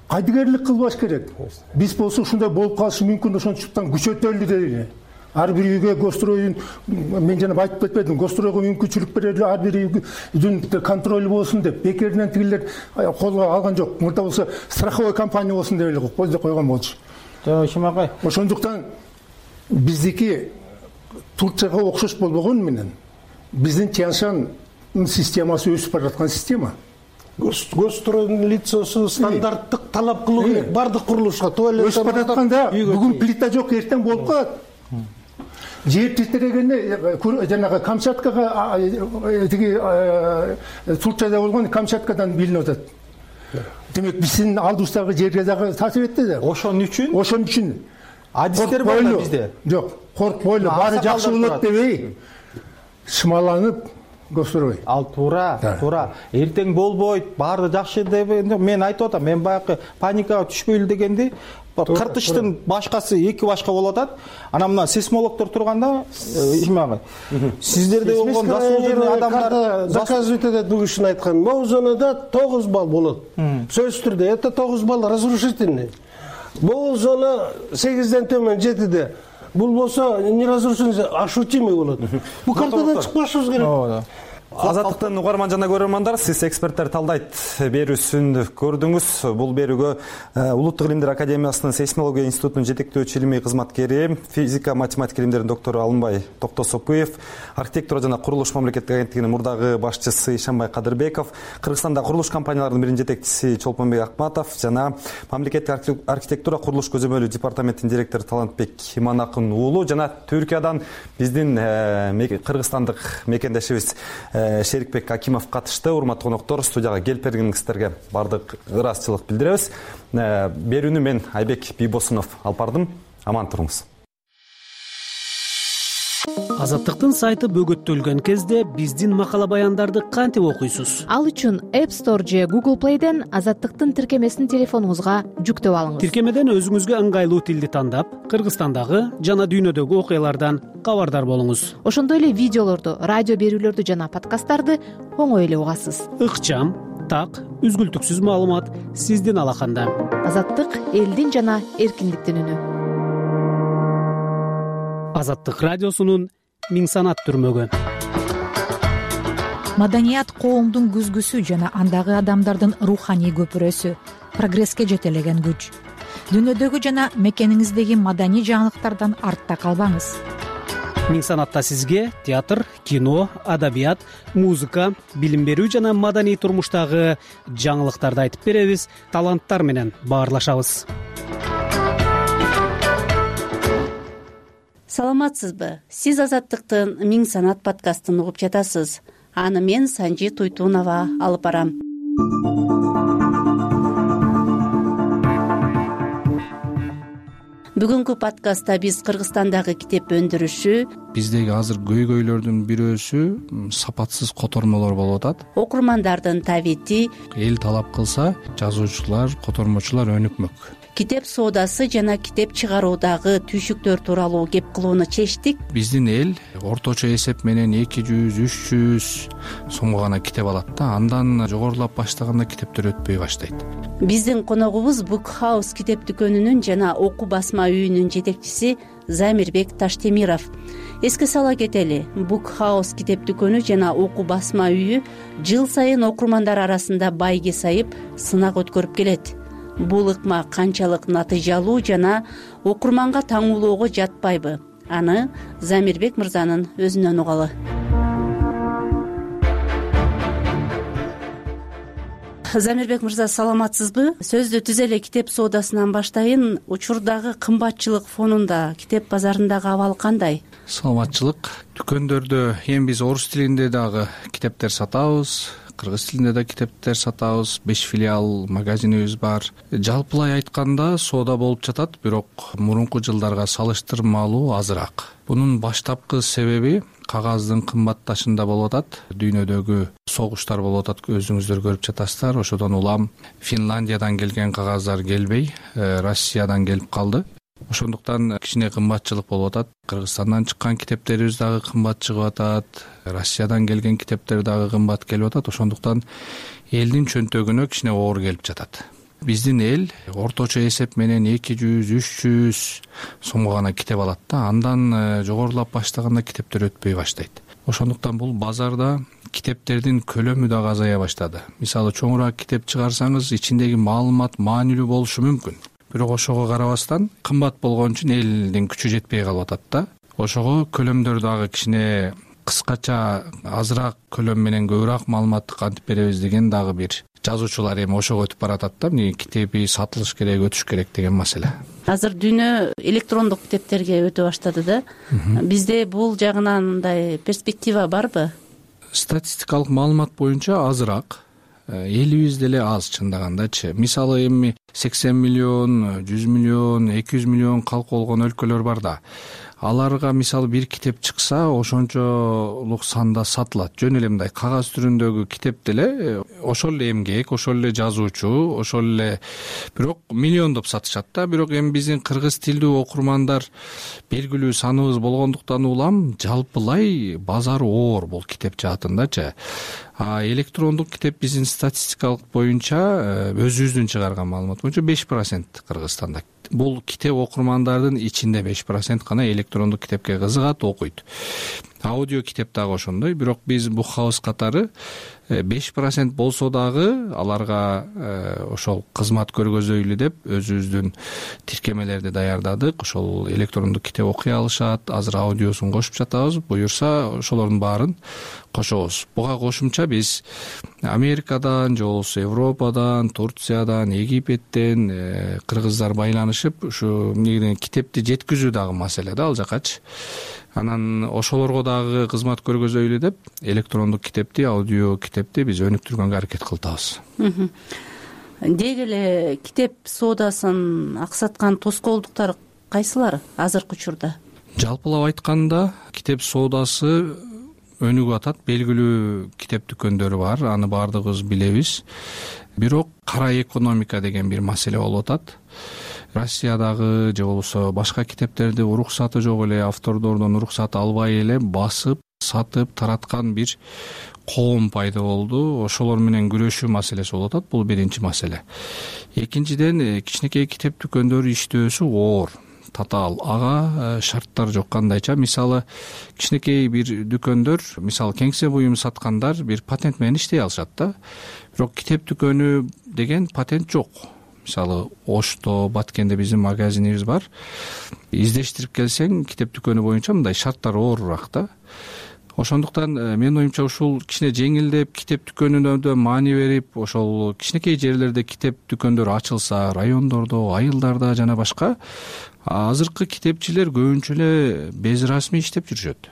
Кайдыгерлик кылбаш керек. Биз болсо ушундай болуп калышы мүмкүн, ошондуктан күчөтөлү дейли. Ар бир үйгө гостройдун, мен жана айтып кетпедим, гостройго мүмкүнчүлүк берели, ар бир үйдүн контролу болсун деп. Бекеринен тигилер колго алган жок. Мурда болсо страховой компания болсун деп эле койгон болчу. Ишим агай. Ошондуктан биздики Турцияга окшош болбогону менен биздин Тянь-Шань системасы өсүп бараткан система. Гостройдун лицосу стандарттык талап кылуу керек бардык курулушка. Өсүп баратканда бүгүн плита жок, эртең болуп калат. Жер титирегенде жанагы Камчаткага тиги Турцияда болгон Камчаткадан билинип атат. Демек биздин алдыбыздагы жерге дагы таасир этти да. Ошон үчүн адистер бар да бизде. Жок, коркпойлу, баары жакшы болот дебей шымаланып гострой. Ал туура. Эртең болбойт, баары жакшы деп мен айтып атам. Мен баягы паникага түшпөйлү дегенди, кыртыштын башкасы эки башка болуп атат. Анан мына сейсмологдор турганда, ишмагы. Сиздерде болгон заслуженный адамдар заказывать этет бул кишини айткан. Могу зонада 9 балл болот. Сөзсүз түрдө это 9 балл разрушительный. Могу зона 8ден төмөн 7де. Бул болсо не разрушительный, ощутимый болот. Бул картадан чыкпашыбыз керек. Азаттыктын угарман жана көрөрмандар, сиз эксперттер талдайт берүүсүн көрдүңүз. Бул берүүгө Улуттук илимдер академиясынын сейсмология институтунун жетектөөчү илимий кызматкери, физика математика илимдеринин доктору Алымбай Токтосопуев, архитектура жана курулуш мамлекеттик агенттигинин мурдагы башчысы Ишанбай Кадырбеков, Кыргызстандагы курулуш компанияларынын биринин жетекчиси Чолпонбек Акматов жана мамлекеттик архитектура курулуш көзөмөлү департаментинин директору Талантбек Иманакын уулу жана Түркиядан биздин кыргызстандык мекендешибиз Шерикбек Акимов катышты. Урматтуу коноктор, студияга келип бергениңиздерге бардык ыраазычылык билдиребиз. Берүүнү мен Айбек Бийбосунов алып бардым. Аман туруңуз. Азаттыктын сайты бөгөттөлгөн кезде биздин макала баяндарды кантип окуйсуз? Ал үчүн App Store же Google Play'ден Азаттыктын тиркемесин телефонуңузга жүктөп алыңыз. Тиркемеден өзүңүзгө ыңгайлуу тилди тандап, Кыргызстандагы жана дүйнөдөгү окуялардан кабардар болуңуз. Ошондой эле видеолорду, радио берүүлөрдү жана подкасттарды оңой эле угасыз. Ыкчам, так, үзгүлтүксүз маалымат сиздин алаканда. Азаттык элдин жана эркиндиктин үнү. Азаттык радиосунун Миң санат түрмөгү. Маданият коомдун күзгүсү жана андагы адамдардын руханий көпүрөсү, прогресске жетелеген күч. Дүйнөдөгү жана мекениңиздеги маданий жаңылыктардан артта калбаңыз. Миң санатта сизге театр, кино, адабият, музыка, билим берүү жана маданий турмуштагы жаңылыктарды айтып беребиз, таланттар менен баарлашабыз. Саламатсызбы? Сиз Азаттыктын Миң санат подкастын угуп жатасыз. Аны мен Санжи Туйтунова алып барам. Бүгүнкү подкастта биз Кыргызстандагы китеп өндүрүшү, биздеги азыр көйгөйлөрдүн бирөөсү сапатсыз котормолор болуп атат. Окурмандардын табити, эл талап кылса, жазуучулар, котормочулар өнүкмөк. Китеп соодасы жана китеп чыгаруудагы түйшүктөр тууралуу кеп кылууну чечтик. Биздин эл орточо эсеп менен 200-300 сомго гана китеп алат да, андан жогорулап баштаганда китептер өтпөй баштайт. Биздин коногубуз Book House китеп дүкөнүнүн жана окуу басма үйүнүн жетекчиси Замирбек Таштемиров. Эске сала кетели, Book House китеп дүкөнү жана окуу басма үйү жыл сайын окурмандар арасында байге сайып, сынак өткөрүп келет. Бул ыкма канчалык натыйжалуу жана окурманга таңуулоого жатпайбы? Аны Замирбек мырзанын өзүнөн угалы. Замирбек мырза, саламатсызбы? Сөздү түз эле китеп соодасынан баштайын. Учурдагы кымбатчылык фонунда китеп базарындагы абал кандай? Саламатчылык. Дүкөндөрдө эми биз орус тилинде дагы китептер сатабыз, кыргыз тилинде да китептер сатабыз, 5 филиал магазинибиз бар. Жалпылай айтканда соода болуп жатат, бирок мурунку жылдарга салыштырмалуу азыраак. Бунун баштапкы себеби кагаздын кымбатташында болуп атат. Дүйнөдөгү согуштар болуп атат, өзүңүздөр көрүп жатасыздар. Ошодон улам Финляндиядан келген кагаздар келбей, Россиядан келип калды. Ошондуктан кичине кымбатчылык болуп атат. Кыргызстандан чыккан китептерибиз дагы кымбат чыгып атат. Россиядан келген китептер дагы кымбат келип атат. Ошондуктан элдин чөнтөгүнө кичине оор келип жатат. Биздин эл орточо эсеп менен 200-300 сомго гана китеп алат да. Андан жогорулап баштаганда китептер өтпөй баштайт. Ошондуктан бул базарда китептердин көлөмү дагы азая баштады. Мисалы, чоңураак китеп чыгарсаңыз, ичиндеги маалымат маанилүү болушу мүмкүн. Бирок ошого карабастан кымбат болгон үчүн элдин күчү жетпей калып атат да. Ошого көлөмдөр дагы кичине кыскача, азыраак көлөм менен көбүрөөк маалыматты кантип беребиз деген дагы бир жазуучулар эми ошого өтүп баратат да. Эмне китеби сатылыш керек, өтүш керек деген маселе. Азыр дүйнө электрондук китептерге өтө баштады да. Бизде бул жагынан мындай перспектива барбы? Статистикалык маалымат боюнча азыраак, элибиз деле аз чындагандачы. Мисалы, эми 80 миллион, 100 миллион, 200 миллион калк болгон өлкөлөр бар да. Аларга мисалы бир китеп чыкса, ошончолук санда сатылат. Жөн эле мындай кагаз түрүндөгү китеп деле ошол эле эмгек, ошол эле жазуучу, ошол эле, бирок миллиондоп сатышат да. Бирок эми биздин кыргыз тилдүү окурмандар белгилүү саныбыз болгондуктан улам жалпылай базары оор бул китеп жаатындачы. Электрондук китеп биздин статистикалык боюнча, өзүбүздүн чыгарган маалымат боюнча 5% Кыргызстанда. Бул китеп окурмандардын ичинде 5% гана электрондук китепке кызыгат, окуйт. Аудио китеп дагы ошондой. Бирок биз Bookhouse катары 5% болсо дагы аларга ошол кызмат көргөзөйлү деп өзүбүздүн тиркемелерди даярдадык. Ошол электрондук китеп окуй алышат. Азыр аудиосун кошуп жатабыз. Буюрса ошолордун баарын кошобуз. Буга кошумча биз Америкадан же болбосо Европадан, Турциядан, Египеттен кыргыздар байланышып, ушу китепти жеткизүү дагы маселе да ал жакачы. Анан ошолорго дагы кызмат көргөзөйлү деп электрондук китепти, аудио китепти биз өнүктүргөнгө аракет кылтабыз. Деги эле китеп соодасын аксаткан тоскоолдуктар кайсылар азыркы учурда? Жалпылап айтканда, китеп соодасы өнүгүп атат. Белгилүү китеп дүкөндөрү бар, аны баардыгыбыз билебиз. Бирок кара экономика деген бир маселе болуп атат. Россиядагы же болбосо башка китептерди уруксаты жок эле, автордордон уруксат албай эле басып, сатып, тараткан бир коом пайда болду. Ошолор менен күрөшүү маселеси болуп атат. Бул биринчи маселе. Экинчиден, кичинекей китеп дүкөндөрү иштөөсү оор, татаал. Ага шарттар жок кандайча. Мисалы, кичинекей бир дүкөндөр, мисалы кеңсе буюм саткандар бир патент менен иштей алышат да. Бирок китеп дүкөнү деген патент жок. Мисалы, Ошто, Баткенде биздин магазинибиз бар. Издештирип келсең, китеп дүкөнү боюнча мындай шарттар оорураак да. Ошондуктан менин оюмча ушул кичине жеңилдеп, китеп дүкөнүнө маани берип, ошол кичинекей жерлерде китеп дүкөндөр ачылса, райондордо, айылдарда жана башка, азыркы китепчилер көбүнчө эле безрасмий иштеп жүрүшөт.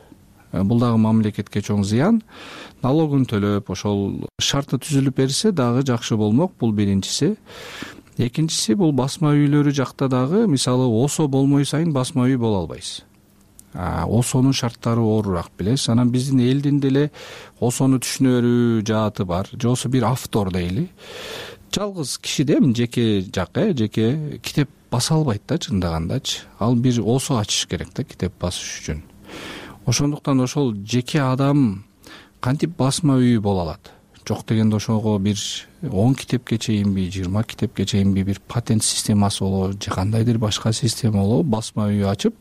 Бул дагы мамлекетке чоң зыян. Налогун төлөп, ошол шарты түзүлүп берсе дагы жакшы болмок. Бул биринчиси. Экинчиси, бул басма үйлөрү жакта дагы, мисалы, ОСО болмой сайын басма үй боло албайсыз. ОСОнун шарттары оорураак, билесиз. Анан биздин элдин деле ОСОну түшүнө берүү жааты бар. Же болбосо бир автор дейли. Жалгыз кишиде жеке жак, жеке китеп баса албайт да, чындагандачы. Ал бир ОСО ачыш керек да китеп басыш үчүн. Ошондуктан ошол жеке адам кантип басма үй боло алат? Жок дегенде ошого бир 10 китепке чейинби, 20 китепке чейинби бир патент системасы болобу, же кандайдыр башка система болобу, басма үй ачып,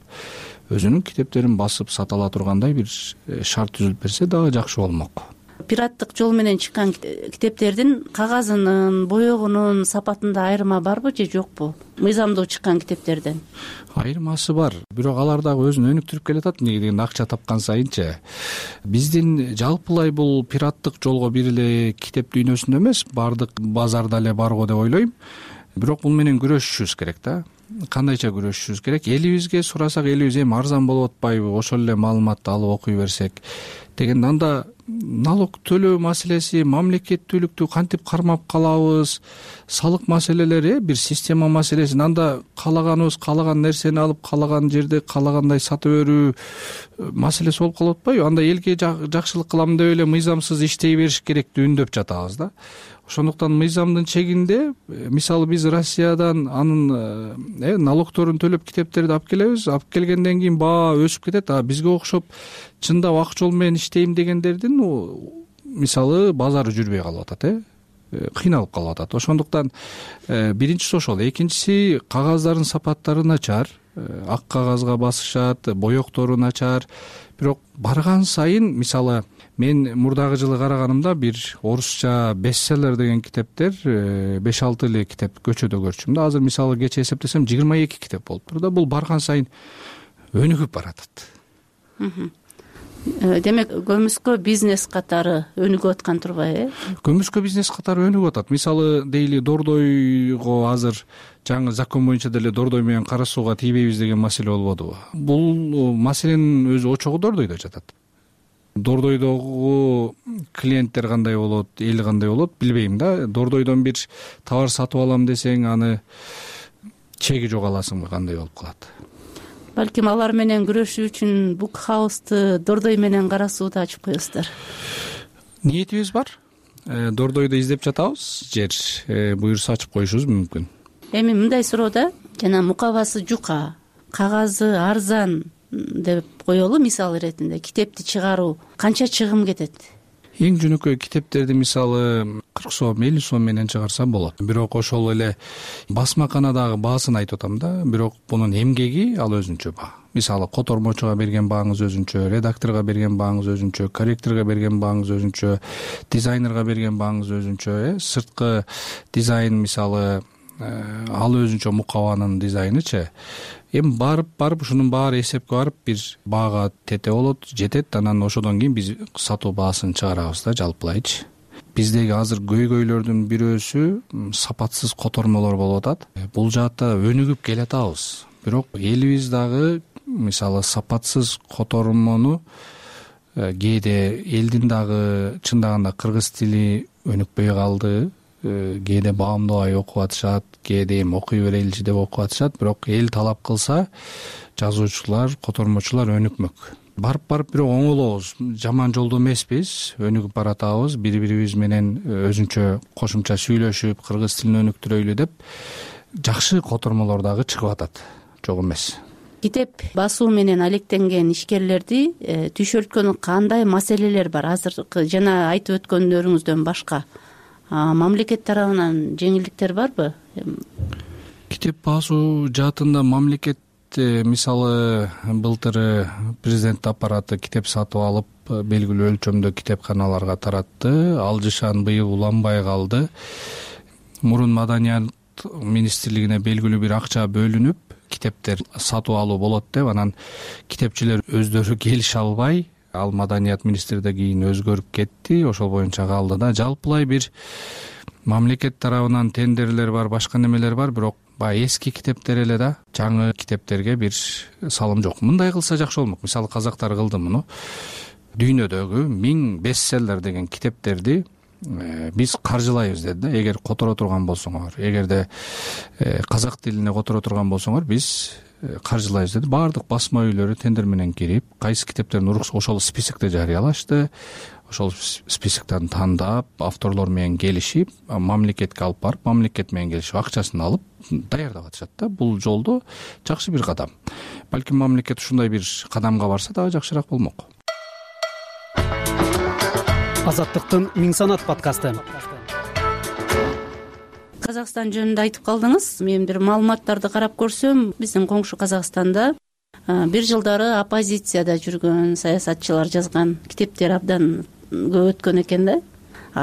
өзүнүн китептерин басып сата ала тургандай бир шарт түзүлүп берсе дагы жакшы болмок. Пираттык жол менен чыккан китептердин кагазынын, боёгунун сапатында айырма барбы же жокпу? Мыйзамдуу чыккан китептерден. Айырмасы бар. Бирок алар дагы өзүн өнүктүрүп келатат, эмнеге дегенде акча тапкан сайынчы. Биздин жалпылай бул пираттык жолго бир эле китеп дүйнөсүндө эмес, баардык базарда эле барго деп ойлойм. Бирок бул менен күрөшүшүбүз керек да. Кандайча күрөшүшүбүз керек? Элибизге сурасак, элибиз эми арзан болуп атпайбы? Ошол эле маалыматты алып окуй берсек деген. Анда налог төлөө маселеси, мамлекеттүүлүктү кантип кармап калабыз, салык маселелери бир система маселеси. Анда каалаганыбыз каалаган нерсени алып каалаган жерде каалагандай сатып берүү маселеси болуп калып атпайбы? Анда элге жакшылык кылам деп эле мыйзамсыз иштей бериш керек деп үндөп жатабыз да. Ошондуктан мыйзамдын чегинде, мисалы биз Россиядан анын налогторун төлөп китептерди алып келебиз. Алып келгенден кийин баа өсүп кетет. А бизге окшоп чындап ак жол менен иштейм дегендердин мисалы базары жүрбөй калып атат, кыйналып калып атат. Ошондуктан биринчиси ошол. Экинчиси, кагаздардын сапаттары начар, ак кагазга басышат, боектору начар. Бирок барган сайын, мисалы мен мурдагы жылы караганымда бир орусча бестселлер деген китептер 5-6 эле китеп көчөдө көрчүм да. Азыр мисалы кечээ эсептесем 22 китеп болуптур да. Бул барган сайын өнүгүп баратат. Демек көмүскө бизнес катары өнүгүп аткан турбайбы? Көмүскө бизнес катары өнүгүп атат. Мисалы дейли Дордойго азыр жаңы закон боюнча деле Дордой менен кара сууга тийбейбиз деген маселе болбодубу? Бул маселенин өзү очогу Дордойдо жатат. Дордойдогу клиенттер кандай болот, эл кандай болот билбейм да. Дордойдон бир товар сатып алам десең, аны чеги жок аласыңбы, кандай болуп калат? Балким алар менен күрөшүү үчүн Book House'ты Дордой менен кара сууда ачып коесуздар. Ниетибиз бар. Дордойдо издеп жатабыз, жер буюрса ачып коюшубуз мүмкүн. Эми мындай суроо да, жана мукабасы жука, кагазы арзан деп коелу мисал иретинде китепти чыгаруу канча чыгым кетет? Эң жөнөкөй китептерди мисалы 40 сом, 50 сом менен чыгарса болот. Бирок ошол эле басмаканадагы баасын айтып атам да. Бирок бунун эмгеги ал өзүнчө баа. Мисалы котормочуга берген бааңыз өзүнчө, редакторго берген бааңыз өзүнчө, корректорго берген бааңыз өзүнчө, дизайнерге берген бааңыз өзүнчө, сырткы дизайн мисалы ал өзүнчө мукабанын дизайнычы. Эми барып ушунун баары эсепке барып бир баага тете болот, жетет. Анан ошодон кийин биз сатуу баасын чыгарабыз да, жалпылайчы. Биздеги азыр көйгөйлөрдүн бирөөсү сапатсыз котормолор болуп атат. Бул жаатта өнүгүп келатабыз. Бирок элибиз дагы мисалы сапатсыз котормону кээде элдин дагы чындаганда кыргыз тили өнүкпөй калды. Кээде баамдабай окуп атышат, кээде эми окуй береличи деп окуп атышат. Бирок эл талап кылса, жазуучулар, котормочулар өнүкмөк. Барып бирок оңолобуз. Жаман жолдо эмеспиз, өнүгүп баратабыз. Бири-бирибиз менен өзүнчө кошумча сүйлөшүп, кыргыз тилин өнүктүрөйлү деп жакшы котормолор дагы чыгып атат. Жок эмес. Китеп басуу менен алектенген ишкерлерди түйшөлткөн кандай маселелер бар? Азыркы жана айтып өткөндөрүңүздөн башка мамлекет тарабынан жеңилдиктер барбы? Китеп басуу жаатында мамлекет мисалы былтыр президент аппараты китеп сатып алып белгилүү өлчөмдө китепканаларга таратты. Алжышан быйыл уланбай калды. Мурун Маданият министрлигине белгилүү бир акча бөлүнүп, китептер сатып алуу болот деп, анан китепчилер өздөрү келише албай, ал Маданият министрде кийин өзгөрүп кетти. Ошол боюнча калды да. Жалпылай бир мамлекет тарабынан тендерлер бар, башка немелер бар, бирок баягы эски китептер эле да, жаңы китептерге бир салым жок. Мындай кылса жакшы болмок. Мисалы казактар кылды муну. Дүйнөдөгү 1000 бестселлер деген китептерди биз каржылайбыз деди да. Эгер которо турган болсоңор, эгерде казак тилине которо турган болсоңор, биз каржылайбыз деди. Баардык басма үйлөрү тендер менен кирип, кайсы китептердин ошол списокте жарыялашты. Ошол списоктон тандап, авторлор менен келишип, мамлекетке алып барып, мамлекет менен келишип, акчасын алып даярдап атышат да. Бул жолдо жакшы бир кадам. Балким мамлекет ушундай бир кадамга барса дагы жакшыраак болмок. Азаттыктын Миң санат подкасты. Казакстан жөнүндө айтып калдыңыз. Мен бир маалыматтарды карап көрсөм, биздин коңшу Казакстанда бир жылдары оппозицияда жүргөн саясатчылар жазган китептер абдан көп өткөн экен да.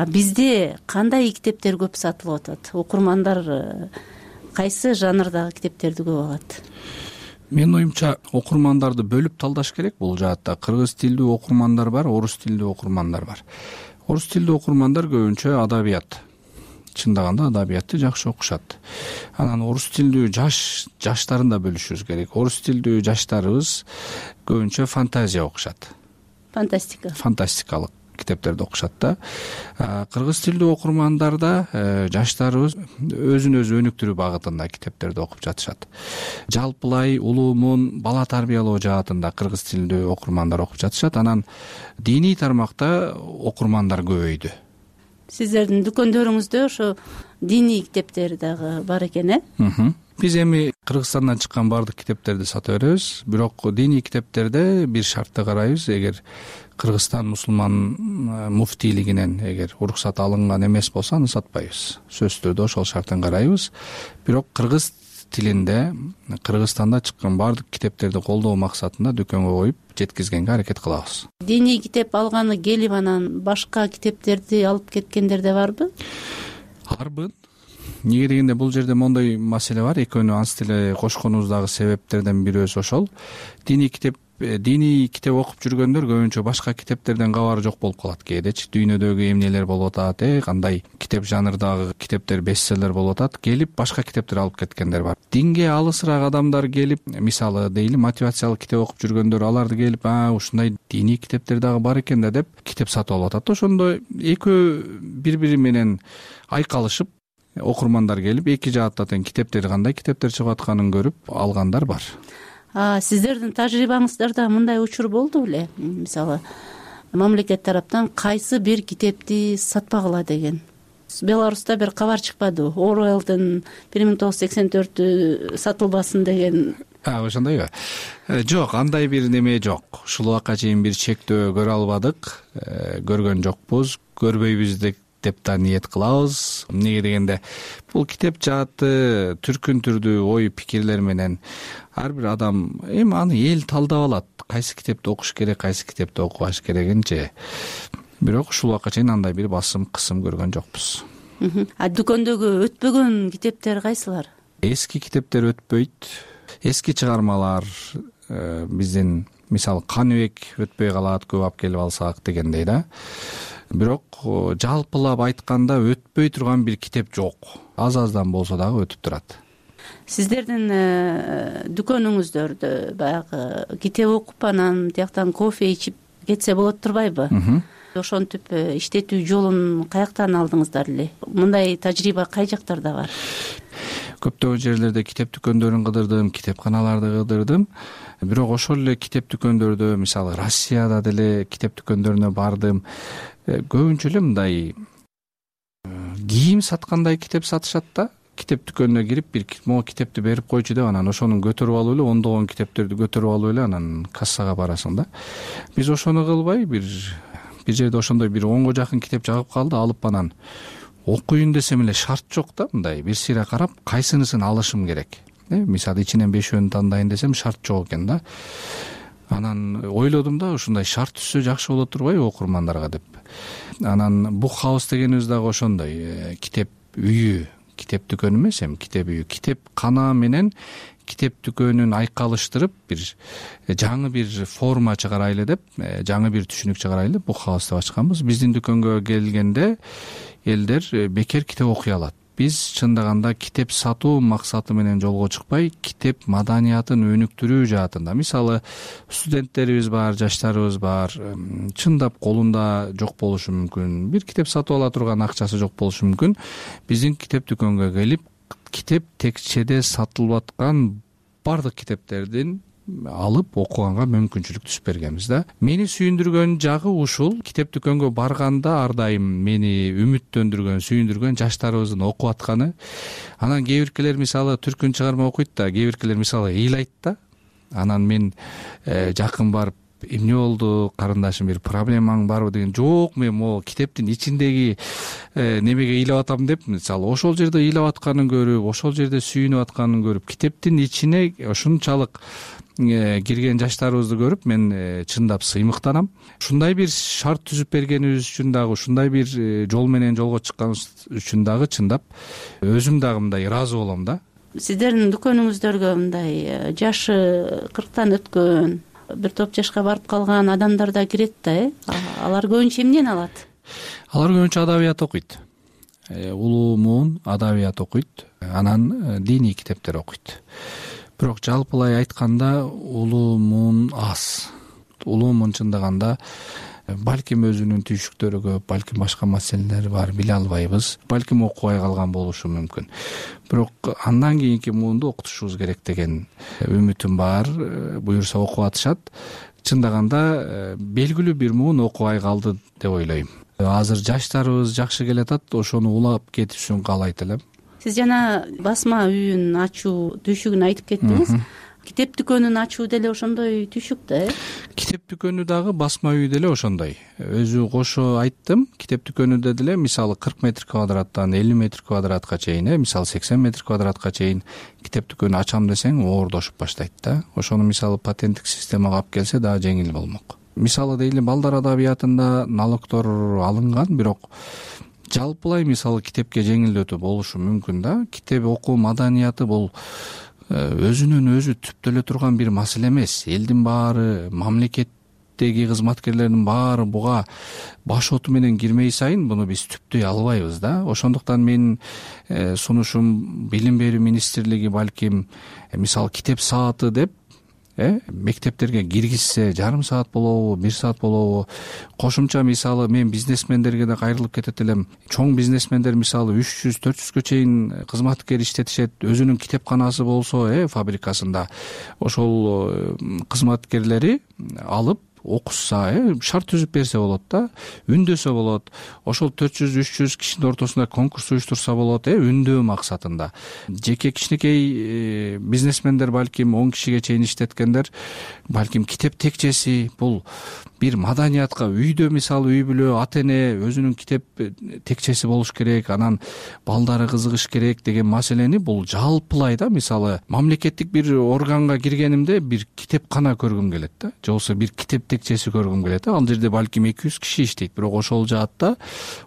Бизде кандай китептер көп сатылып атат? Окурмандар кайсы жанрдагы китептерди көп алат? Менин оюмча окурмандарды бөлүп талдаш керек. Бул жаатта кыргыз тилдүү окурмандар бар, орус тилдүү окурмандар бар. Орус тилдүү окурмандар көбүнчө адабият, чындаганда адабиятты жакшы окушат. Анан орус тилдүү жаштарын да бөлүшүбүз керек. Орус тилдүү жаштарыбыз көбүнчө фантазия окушат. Фантастикалык китептерди окушат да. Кыргыз тилдүү окурмандарда жаштарыбыз өзүн өзү өнүктүрүү багытында китептерди окуп жатышат. Жалпылай улуумун бала тарбиялоо жаатында кыргыз тилдүү окурмандар окуп жатышат. Анан диний тармакта окурмандар көбөйдү. Сиздердин дүкөндөрүңүздө ошо диний китептер дагы бар экен, Биз эми Кыргызстандан чыккан баардык китептерди сата беребиз, бирок диний китептерде бир шартты карайбыз. Эгер Кыргызстан мусулман муфтийлигинен эгер уруксат алынган эмес болсо аны сатпайбыз. Сөзсүз түрдө ошол шарттан карайбыз. Бирок кыргыз тилинде Кыргызстанда чыккан баардык китептерди колдоо максатында дүкөнгө коюп жеткизгенге аракет кылабыз. Диний китеп алганы келип анан башка китептерди алып кеткендер да барбы? Арбын. Эмне дегенде бул жерде мондой маселе бар. Экөөнү анс деле кошконубуздагы себептерден бирөөсү ошол. Диний китеп окуп жүргөндөр көбүнчө башка китептерден кабары жок болуп калат кээдечи. Дүйнөдөгү эмнелер болуп атат, кандай китеп жанрдагы китептер бестселлер болуп атат. Келип башка китептер алып кеткендер бар. Динге алысыраак адамдар келип, мисалы дейли, мотивациялык китеп окуп жүргөндөр аларды келип, ушундай диний китептер дагы бар экен да деп китеп сатып алып атат. Ошондо экөө бири-бири менен айкалышып окурмандар келип эки жаатта тең китептер кандай китептер чыгып атканын көрүп алгандар бар. Сиздердин тажрыйбаңыздарда мындай учур болду беле? Мисалы, мамлекет тараптан кайсы бир китепти сатпагыла деген. Беларуста бир кабар чыкпады. Оруэллдин 1984 сатылбасын деген. Ошондойбу? Жок, андай бир неме жок. Ушул убакка чейин бир чектөө көрө албадык, көргөн жокпуз, көрбөйбүз деп да ниет кылабыз. Эмнеге дегенде бул китеп жааты түркүн түрдүү ой пикирлер менен ар бир адам эми аны эл талдап алат. Кайсы китепти окуш керек, кайсы китепти окубаш керегинчи. Бирок ушул убакка чейин андай бир басым кысым көргөн жокпуз. Дүкөндөгү өтпөгөн китептер кайсылар? Эски китептер өтпөйт. Эски чыгармалар биздин мисалы Каныбек өтпөй калат, көп алып келип алсак дегендей да. Бирок жалпылап айтканда өтпөй турган бир китеп жок. Аз-аздан болсо дагы өтүп турат. Сиздердин дүкөнүңүздөрдө баягы китеп окуп анан тияктан кофе ичип кетсе болот турбайбы? Ошентип иштетүү жолун каяктан алдыңыздар эле? Мындай тажрыйба кай жактарда бар? Көптөгөн жерлерде китеп дүкөндөрүн кыдырдым, китепканаларды кыдырдым. Бирок ошол эле китеп дүкөндөрдө, мисалы Россияда деле китеп дүкөндөрүнө бардым. Көбүнчө эле мындай кийим саткандай китеп сатышат да. Китеп дүкөнүнө кирип бир могу китепти берип койчу деп анан ошону көтөрүп алып эле, ондогон китептерди көтөрүп алып эле анан кассага барасың да. Биз ошону кылбай бир жерде ошондой бир 10го жакын китеп жагып калды, алып анан окуйын десем эле шарт жок да, мындай бир сыйра карап кайсынысын алышым керек. Мисалы ичинен 5-өн тандайын десем шарт жок экен да. Анан ойлодум да, ушундай шарт түзсө жакшы болот турбайбы окурмандарга деп. Анан Book House дегенибиз дагы ошондой китеп үйү, китеп дүкөнү эмес, эми китеп үйү, китеп кана менен китеп дүкөнүн айкалыштырып бир жаңы бир форма чыгарайлы деп, жаңы бир түшүнүк чыгарайлы деп Book House деп ачканбыз. Биздин дүкөнгө келгенде элдер бекер китеп окуй алат. Биз чындаганда китеп сатуу максаты менен жолго чыкпай, китеп маданиятын өнүктүрүү жаатында. Мисалы, студенттерибиз бар, жаштарыбыз бар, чындап колунда жок болушу мүмкүн, бир китеп сатып ала турган акчасы жок болушу мүмкүн. Биздин китеп дүкөнгө келип, китеп текчеде сатылып аткан бардык китептердин алып окуганга мүмкүнчүлүк түзүп бергенбиз да. Мени сүйүндүргөн жагы ушул. Китеп дүкөнгө барганда ар дайым мени үмүттөндүргөн, сүйүндүргөн жаштарыбыздын окуп атканы. Анан кээ биркелер мисалы түркүн чыгарма окуйт да, кээ биркелер мисалы ыйлайт да. Анан мен жакын барып, эмне болду, карындашым, бир проблемаң барбы деген, жок, мен могу китептин ичиндеги немеге ыйлап атам деп, мисалы ошол жерде ыйлап атканын көрүп, ошол жерде сүйүнүп атканын көрүп, китептин ичине ушунчалык кирген жаштарыбызды көрүп мен чындап сыймыктанам. Ушундай бир шарт түзүп бергенибиз үчүн дагы, ушундай бир жол менен жолго чыкканыбыз үчүн дагы чындап өзүм дагы мындай ыраазы болом да. Сиздердин дүкөнүңүздөргө мындай жашы 40тан өткөн, бир топ жашка барып калган адамдар да кирет да, алар көбүнчө эмнени алат? Алар көбүнчө адабият окуйт. Улуумун адабият окуйт, анан диний китептер окуйт. Бирок жалпылай айтканда улуумун аз. Улуумун чындаганда балким өзүнүн түйшүктөрү көп, балким башка маселелери бар, биле албайбыз, балким окубай калган болушу мүмкүн. Бирок андан кийинки муунду окутушубуз керек деген үмүтүм бар. Буюрса окуп атышат. Чындаганда белгилүү бир муун окубай калды деп ойлойм. Азыр жаштарыбыз жакшы келатат, ошону улап кетишин каалайт элем. Сиз жана басма үйүн ачуу түйшүгүн айтып кеттиңиз. Китеп дүкөнүн ачуу деле ошондой түйшүк да, Китеп дүкөнү дагы басма үй деле ошондой. Өзү кошо айттым, китеп дүкөнүндө деле мисалы 40 метр квадраттан 50 метр квадратка чейин, мисалы 80 метр квадратка чейин китеп дүкөнү ачам десең оордошуп баштайт да. Ошону мисалы патенттик системага алып келсе дагы жеңил болмок. Мисалы дейли балдар адабиятында налогдор алынган, бирок жалпылай мисалы китепке жеңилдетүү болушу мүмкүн да. Китеп окуу маданияты бул өзүнөн өзү түптөлө турган бир маселе эмес. Элдин баары, мамлекеттеги кызматкерлердин баары буга баш оту менен кирмей сайын буну биз түптөй албайбыз да. Ошондуктан менин сунушум билим берүү министрлиги балким мисалы китеп сааты деп мектептерге киргизсе, жарым саат болобу, 1 саат болобу, кошумча мисалы мен бизнесмендерге да кайрылып кетет элем. Чоң бизнесмендер мисалы 300-400гө чейин кызматкер иштетишет, өзүнүн китепканасы болсо, фабрикасында ошол кызматкерлери алып окушса, шарт түзүп берсе болот да, үндөсө болот. Ошол 400-300 кишинин ортосунда конкурс уюштурса болот, үндөө максатында. Жеке кичинекей бизнесмендер балким 10 кишиге чейин иштеткендер, балким китеп текчеси бул бир маданиятка, үйдө мисалы үй бүлө, ата эне өзүнүн китеп текчеси болуш керек, анан балдары кызыгыш керек деген маселени бул жалпылай да. Мисалы мамлекеттик бир органга киргенимде бир китепкана көргүм келет да, же болбосо бир китеп текчеси көргүм келет да. Ал жерде балким 200 киши иштейт, бирок ошол жаатта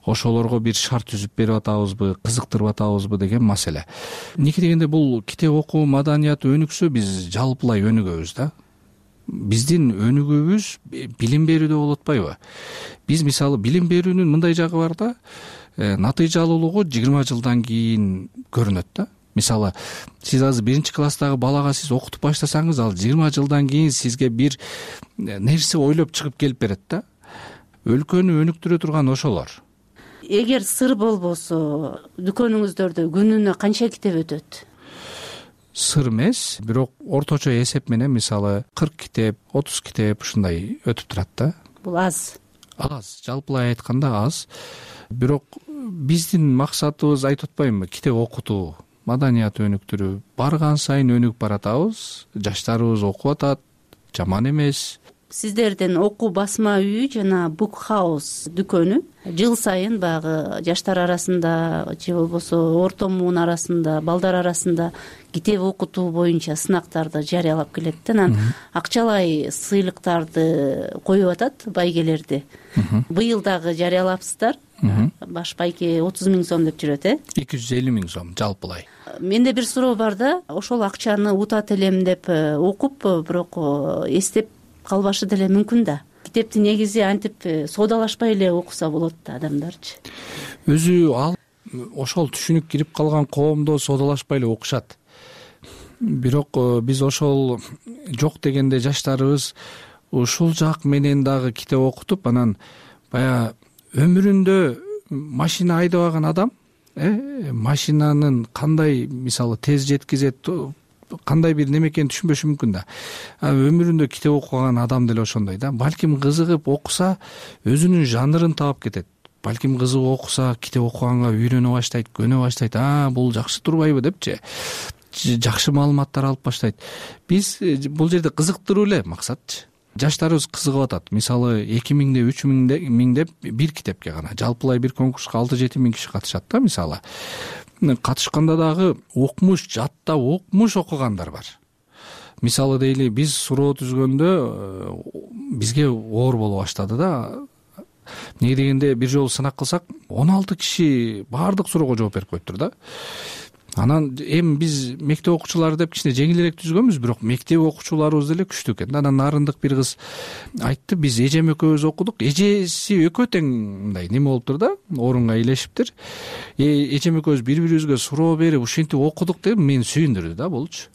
ошолорго бир шарт түзүп берип атабызбы, кызыктырып атабызбы деген маселе. Эмнеге дегенде бул китеп окуу маданияты өнүксө биз жалпылай өнүгөбүз да. Биздин өнүгүүбүз билим берүүдө болуп атпайбы? Биз мисалы билим берүүнүн мындай жагы бар да, натыйжалуулугу 20 жылдан кийин көрүнөт да. Мисалы сиз азыр 1-класстагы балага сиз окутуп баштасаңыз, ал 20 жылдан кийин сизге бир нерсе ойлоп чыгып келип берет да. Өлкөнү өнүктүрө турган ошолор. Эгер сыр болбосо, дүкөнүңүздөрдө күнүнө канча китеп өтөт? Сыр эмес, бирок орточо эсеп менен мисалы 40 китеп, 30 китеп ушундай өтүп турат да. Бул аз. Аз, жалпылай айтканда аз. Бирок биздин максатыбыз айтып атпаймынбы, китеп окутуу, маданият өнүктүрүү. Барган сайын өнүгүп баратабыз, жаштарыбыз окуп атат, жаман эмес. Сиздердин окуу басма үйү жана Book House дүкөнү жыл сайын баягы жаштар арасында же болбосо орто муун арасында, балдар арасында китеп окутуу боюнча сынактарды жарыялап келет. Анан акчалай сыйлыктарды коюп атат, байгелерди. Быйыл дагы жарыялапсыздар. Баш байке 30 000 сом деп жүрөт, 250 000 сом жалпылай. Менде бир суроо бар да, ошол акчаны утат элем деп окуп, бирок эстеп калбашы деле мүмкүн да. Китепти негизи антип соодалашпай эле окуса болот да адамдарчы. Өзү ал ошол түшүнүк кирип калган коомдо соодалашпай эле окушат. Бирок биз ошол жок дегенде жаштарыбыз ушул жак менен дагы китеп окутуп, анан баягы өмүрүндө машина айдабаган адам, машинанын кандай мисалы тез жеткизет, кандай бир неме экенин түшүнбөшү мүмкүн да. Өмүрүндө китеп окуган адам деле ошондой да. Балким кызыгып окуса, өзүнүн жанрын таап кетет. Балким кызыгып окуса, китеп окуганга үйрөнө баштайт, көнө баштайт. Бул жакшы турбайбы депчи. Жакшы маалыматтар алып баштайт. Биз бул жерде кызыктыруу эле максатчы. Жаштарыбыз кызыгып атат. Мисалы 2000 3000 деп бир китепке гана. Жалпылай бир конкурска 6-7 000 киши катышат да мисалы. Катышканда дагы окмуш, жаттап окмуш окугандар бар. Мисалы дейли биз суроо түзгөндө бизге оор боло баштады да. Эмне дегенде бир жолу сынак кылсак 16 киши баардык суроого жооп берип коюптур да. Анан эми биз мектеп окуучулары деп кичине жеңилирээк түзгөнбүз, бирок мектеп окуучуларыбыз деле күчтүү экен. Анан нарындык бир кыз айтты, биз эжем экөөбүз окудук. Эжеси экөө тең мындай неме болуптур да, орунга илешиптир. Эжем экөөбүз бири-бирибизге суроо берип ушинтип окудук деп мени сүйүндүрдү да булчу.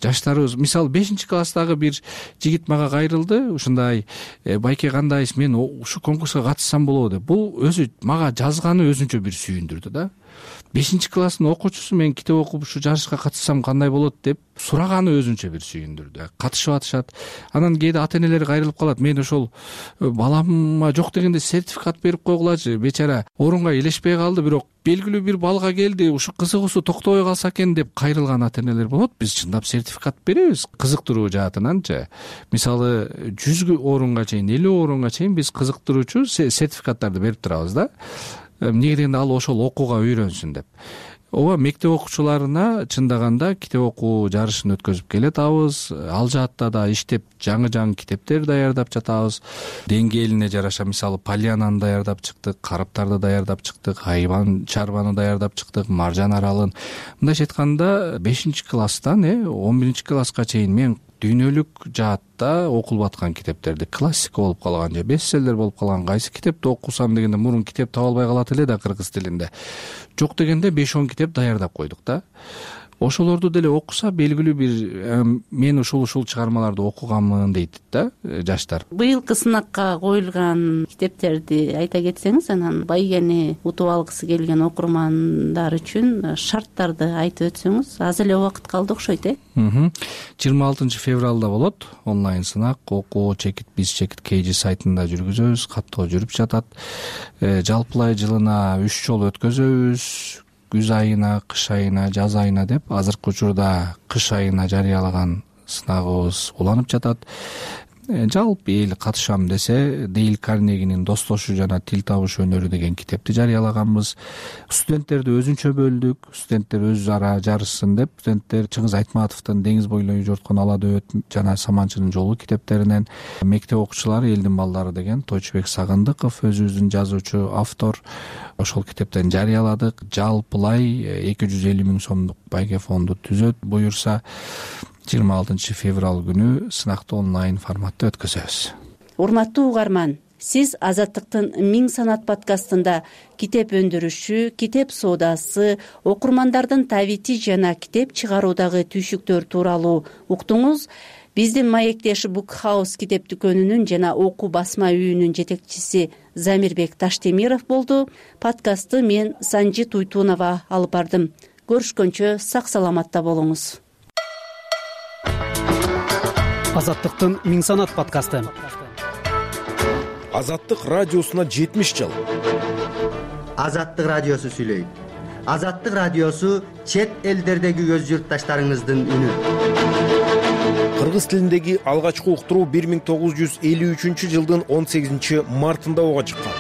жаштарыбыз мисалы 5-класстагы бир жигит мага кайрылды, ушундай байке кандайсыз, мен ушу конкурска катышсам болобу деп. Бул өзү мага жазганы өзүнчө бир сүйүндүрдү да. 5-класстын окуучусу мен китеп окуп ушу жарышка катышсам кандай болот деп сураганы өзүнчө бир сүйүндүрдү. Катышып атышат. Анан кээде ата-энелер кайрылып калат. Мен ошол балама жок дегенде сертификат берип койгулачы. Бечара орунга илешпей калды, бирок белгилүү бир баллга келди, ушу кызыгуусу токтобой калса экен деп кайрылган ата-энелер болот. Биз чындап сертификат беребиз кызыктыруу жаатынанчы. Мисалы 100 орунга чейин, 50 орунга чейин биз кызыктыруучу сертификаттарды берип турабыз да. Эмнеге дегенде ал ошол окууга үйрөнсүн деп. Ооба, мектеп окуучуларына чындаганда китеп окуу жарышын өткөзүп келатабыз. Ал жаатта да иштеп жаңы китептер даярдап жатабыз. Деңгээлине жараша мисалы Полянаны даярдап чыктык, Караптарды даярдап чыктык, Айбан Чарбаны даярдап чыктык, Маржан Аралын. Мындайча айтканда 5-класстан 11-класска чейин мен дүйнөлүк жаатта окулуп аткан китептерди, классика болуп калган же бестселлер болуп калган кайсы китепти окусам дегенде мурун китеп таба албай калат эле да кыргыз тилинде. Жок дегенде 5-10 китеп даярдап койдук да. Ошолорду деле окуса белгилүү бир мен ушул чыгармаларды окуганмын дейт да жаштар. Быйылкы сынакка коюлган китептерди айта кетсеңиз, анан байгени утуп алгысы келген окурмандар үчүн шарттарды айтып өтсөңүз. Аз эле убакыт калды окшойт 26 февралда болот онлайн сынак. Окуу биз чекит KG сайтында жүргүзөбүз, каттоо жүрүп жатат. Жалпылай жылына 3 жолу өткөзөбүз. Күз айына, кыш айына, жаз айына деп. Азыркы учурда кыш айына жарыялаган сынагыбыз уланып жатат. Жалпы эл катышам десе, Дейл Карнегинин Достошуу жана тил табыш өнөрү деген китепти жарыялаганбыз. Студенттерди өзүнчө бөлдүк. Студенттер өз ара жарышсын деп, студенттер Чыңгыз Айтматовдун Деңиз бойлой жорткон ала дөбөт жана Саманчынын жолу китептеринен, мектеп окуучулары Элдин балдары деген Тойчубек Сагындыков өзүбүздүн жазуучу автор, ошол китептен жарыяладык. Жалпылай 250 000 сомдук байке фонду түзөт буюрса 26 февраль күнү сынакты онлайн форматта өткөзөбүз. Урматтуу угарман, сиз Азаттыктын 1000 санат подкастында китеп өндүрүшү, китеп соодасы, окурмандардын табити жана китеп чыгаруудагы түйшүктөр тууралуу уктуңуз. Биздин маектеш Book House китеп дүкөнүнүн жана окуу басма үйүнүн жетекчиси Замирбек Таштемиров болду. Подкастты мен Санжи Туйтунова алып бардым. Көрүшкөнчө сак саламатта болуңуз. Азаттыктын 1000 санат подкасты. Азаттык радиосуна 70 жыл. Азаттык радиосу сүйлөйт. Азаттык радиосу чет элдердеги өз журтташтарыңыздын үнү. Кыргыз тилиндеги алгачкы уктуруу 1953 жылдын 18 мартында ого чыккан.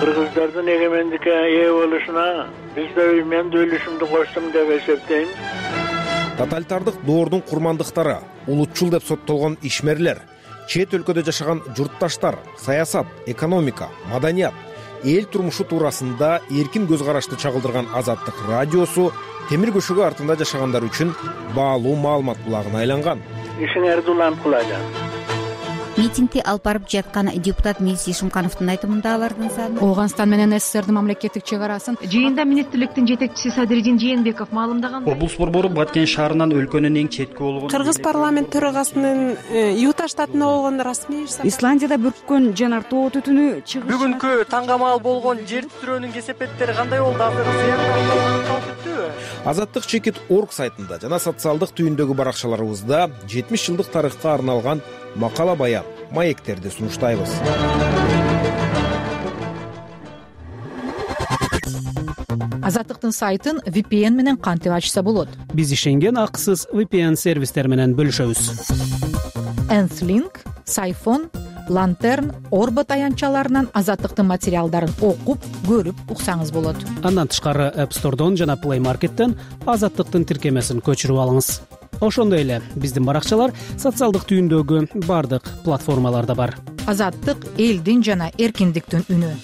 Кыргыздардын эгемендикке ээ болушуна мен да үлүшүмдү коштум деп эсептейм. Тоталитардык доордун курмандыктары, улутчул деп соттолгон ишмерлер, чет өлкөдө жашаган журтташтар, саясат, экономика, маданият, эл турмушу туурасында эркин көз карашты чагылдырган Азаттык радиосу темир көшөгө артында жашагандар үчүн баалуу маалымат булагына айланган. Ишиңерди уланып кылажат. Митингди алып барып жаткан депутат Мирси Шумкановдун айтымында алардын саны Ооганстан менен СССРдин мамлекеттик чек арасын жыйында министрликтин жетекчиси Садыридин Жээнбеков маалымдагандай, облус борбору Баткен шаарынан өлкөнүн эң четки болгон Кыргыз парламент төрагасынын Юта штатына болгон расмий Исландияда бүрккөн жанар тоо түтүнү чыгыш. Бүгүнкү таңгамал болгон жер титирөөнүн кесепеттери кандай болду? Азаттык чекит.org сайтында жана социалдык түйүндөгү баракчаларыбызда 70 жылдык тарыхка арналган макала баян, маектерди сунуштайбыз. Азаттыктын сайтын VPN менен кантип ачса болот? Биз ишенген акысыз VPN сервистер менен бөлүшөбүз. Nthling, Сайфон, Lantern, Орбот аянтчаларынан Азаттыктын материалдарын окуп, көрүп уксаңыз болот. Андан тышкары App Store'дон жана Play Market'тен Азаттыктын тиркемесин көчүрүп алыңыз. Ошондой эле биздин баракчалар социалдык түйүндөгү бардык платформаларда бар. Азаттык элдин жана эркиндиктин үнү.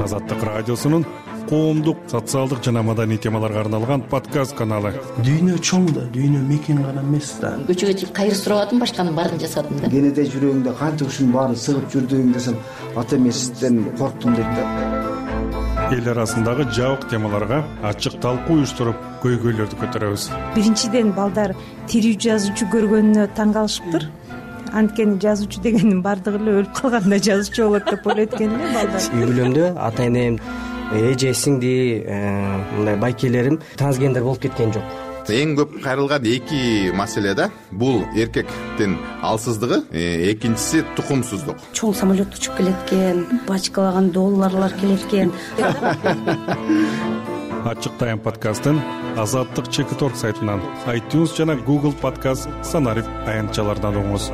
Азаттык радиосунун коомдук, социалдык жана маданий темаларга арналган подкаст каналы. Дүйнө чоң да, дүйнө мекен гана эмес да. Көчөгө чыгып кайыр сурабадым, башканын баарын жасадым да. Кенеде жүрөгүңдө канча ушунун баарын сыгып жүрдүгүң десем, ата эмесизден корктум дейт да. эл арасындагы жабык темаларга ачык талкуу уюштуруп көйгөйлөрдү көтөрөбүз. Биринчиден балдар тирүү жазуучу көргөнүнө таң калышыптыр. Анткени жазуучу дегендин баардыгы эле өлүп калганда жазуучу болот деп ойлойт экен эле балдар. Үй бүлөмдө ата энем, эже, сиңди, мындай байкелерим трансгендер болуп кеткен жок. Эң көп кайрылган эки маселе да, бул эркектин алсыздыгы, экинчиси тукумсуздук. Чоң самолет учуп келет экен, бачкалаган долларлар келет экен. Ачык тайм подкастын Азаттык Чекит.org сайтынан, iTunes жана Google Podcast санарип аянтчалардан угуңуз.